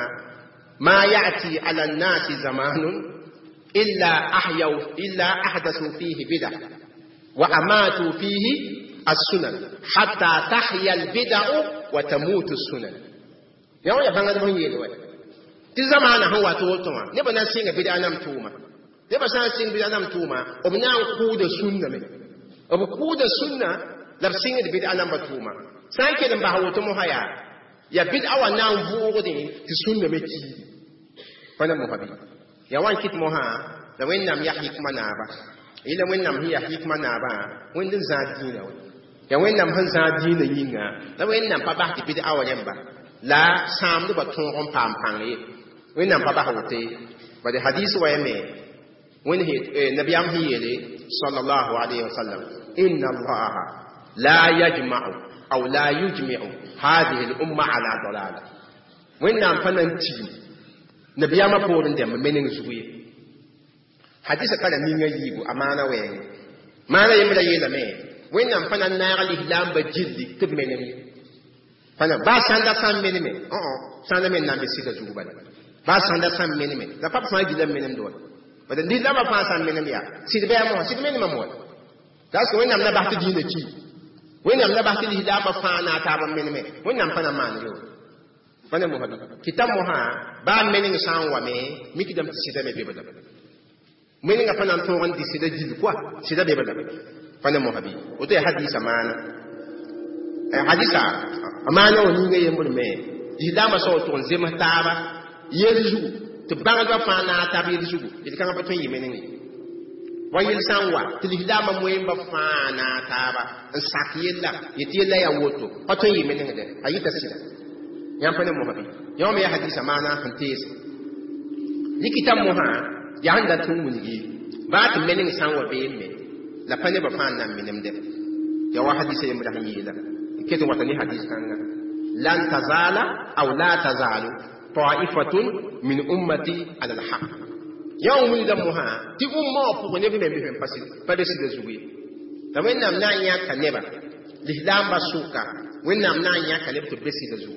ma ya'ti ala nnasi zamanun illa ahyaw illa ahdathu fihi bida wa amatu fihi السنن حتى تحيا البدع وتموت السنن yã wã ya bãngdb sẽn yeel wa tɩ zamaana sẽn wat woto wã nebã na n sɩnga bɩda nam tʋʋma nebã sã n sɩng bɩda nam tʋʋma b na n kʋʋda sũnna me b kʋʋda sũnna la b sɩngd bɩda namba tʋʋma sã n kell n bas woto mosã yaa ya bɩda wã na n vʋʋgdẽ tɩ sũnna me kiidi pa ne mosã bɩ ya wa n kɩt mosã la wẽnnaam yaa hikma naaba yɩla wẽnnaam sẽn yaa hikma naabã wẽnd n zãad dĩinã wa ya wẽnnaam sẽn zãad dĩinã yĩnga la wẽnnaam pa bas tɩ bɩda wã rẽmba la sãamdbã tõog n paam pãng ye wẽnnaam pa bas woto bad hadis wa yame wẽnd nabiyaam sẽn yeele sallallahu alayhi wa sallam inna allaha la yajma'u aw la yujmi'u hadhihi al-umma ala dalala wẽnnaam pa na n tigim nabiyaamã poorẽ dẽmb meneng zugu ye hadisa kara ninga yiibu a maana wɛɛngẽ maana yembra yeelame wẽnnaam pa na n naag lislaambã gilli tɩ b menem ye pa na baa sãnda sã n meneme sãnda me n na n be sɩda zugu bala baa sãnda sã n meneme la pa b fãa gila n menemd wa bad lislaambã fãa sã n menem yaa sɩd bɩ a mosã sɩd menemã mo parce que wẽnnaam na bas tɩ dĩinã ki wẽnnaam na bas tɩ lislaambã fãa naag taab n meneme wẽnnaam pa na maan yo pa ne mosã bɩ kɩta mosã baa meneng sã n wame mikdame tɩ sɩda me be lame menengã pa na n tõog n dɩ sɩda gill koa sɩda be lame pa ne mosã bɩ woto yaa hadisa maana hadisa a maana wã ninga yembr me lislaambã sao tʋg n zems taaba yel zugu tɩ bãngdbã fãa naag tab yel zugu d kãngã pa tõe n yɩ meneng ye wa yel sã n wa tɩ lislaambã moeembã fãa naag taaba n sak yella yetɩ yella yaa woto pa tõe n yɩ menengdɛ a yɩta sɩda yãmb pa ne mosã bɩ yã wã me yaa hadisa maana sẽn teese rikita mosã yaa sẽn dat n wilgi baa tɩ meneng sã n wa beem me la pa nebã fãa n na n menemdɛ ya wa hadisa yembra sẽn yeela ket n wata ne hadis kãnga lan tazala aw la tazalu taifatun min ummati ala alhaq yã wã wilga mosã tɩ umma wã pʋgẽ neb me n pa be sɩda zugu ye la wẽnnaam na n yãka neba lislaambã sʋka wẽnnaam na n yãka neb tɩ b be sɩda zugu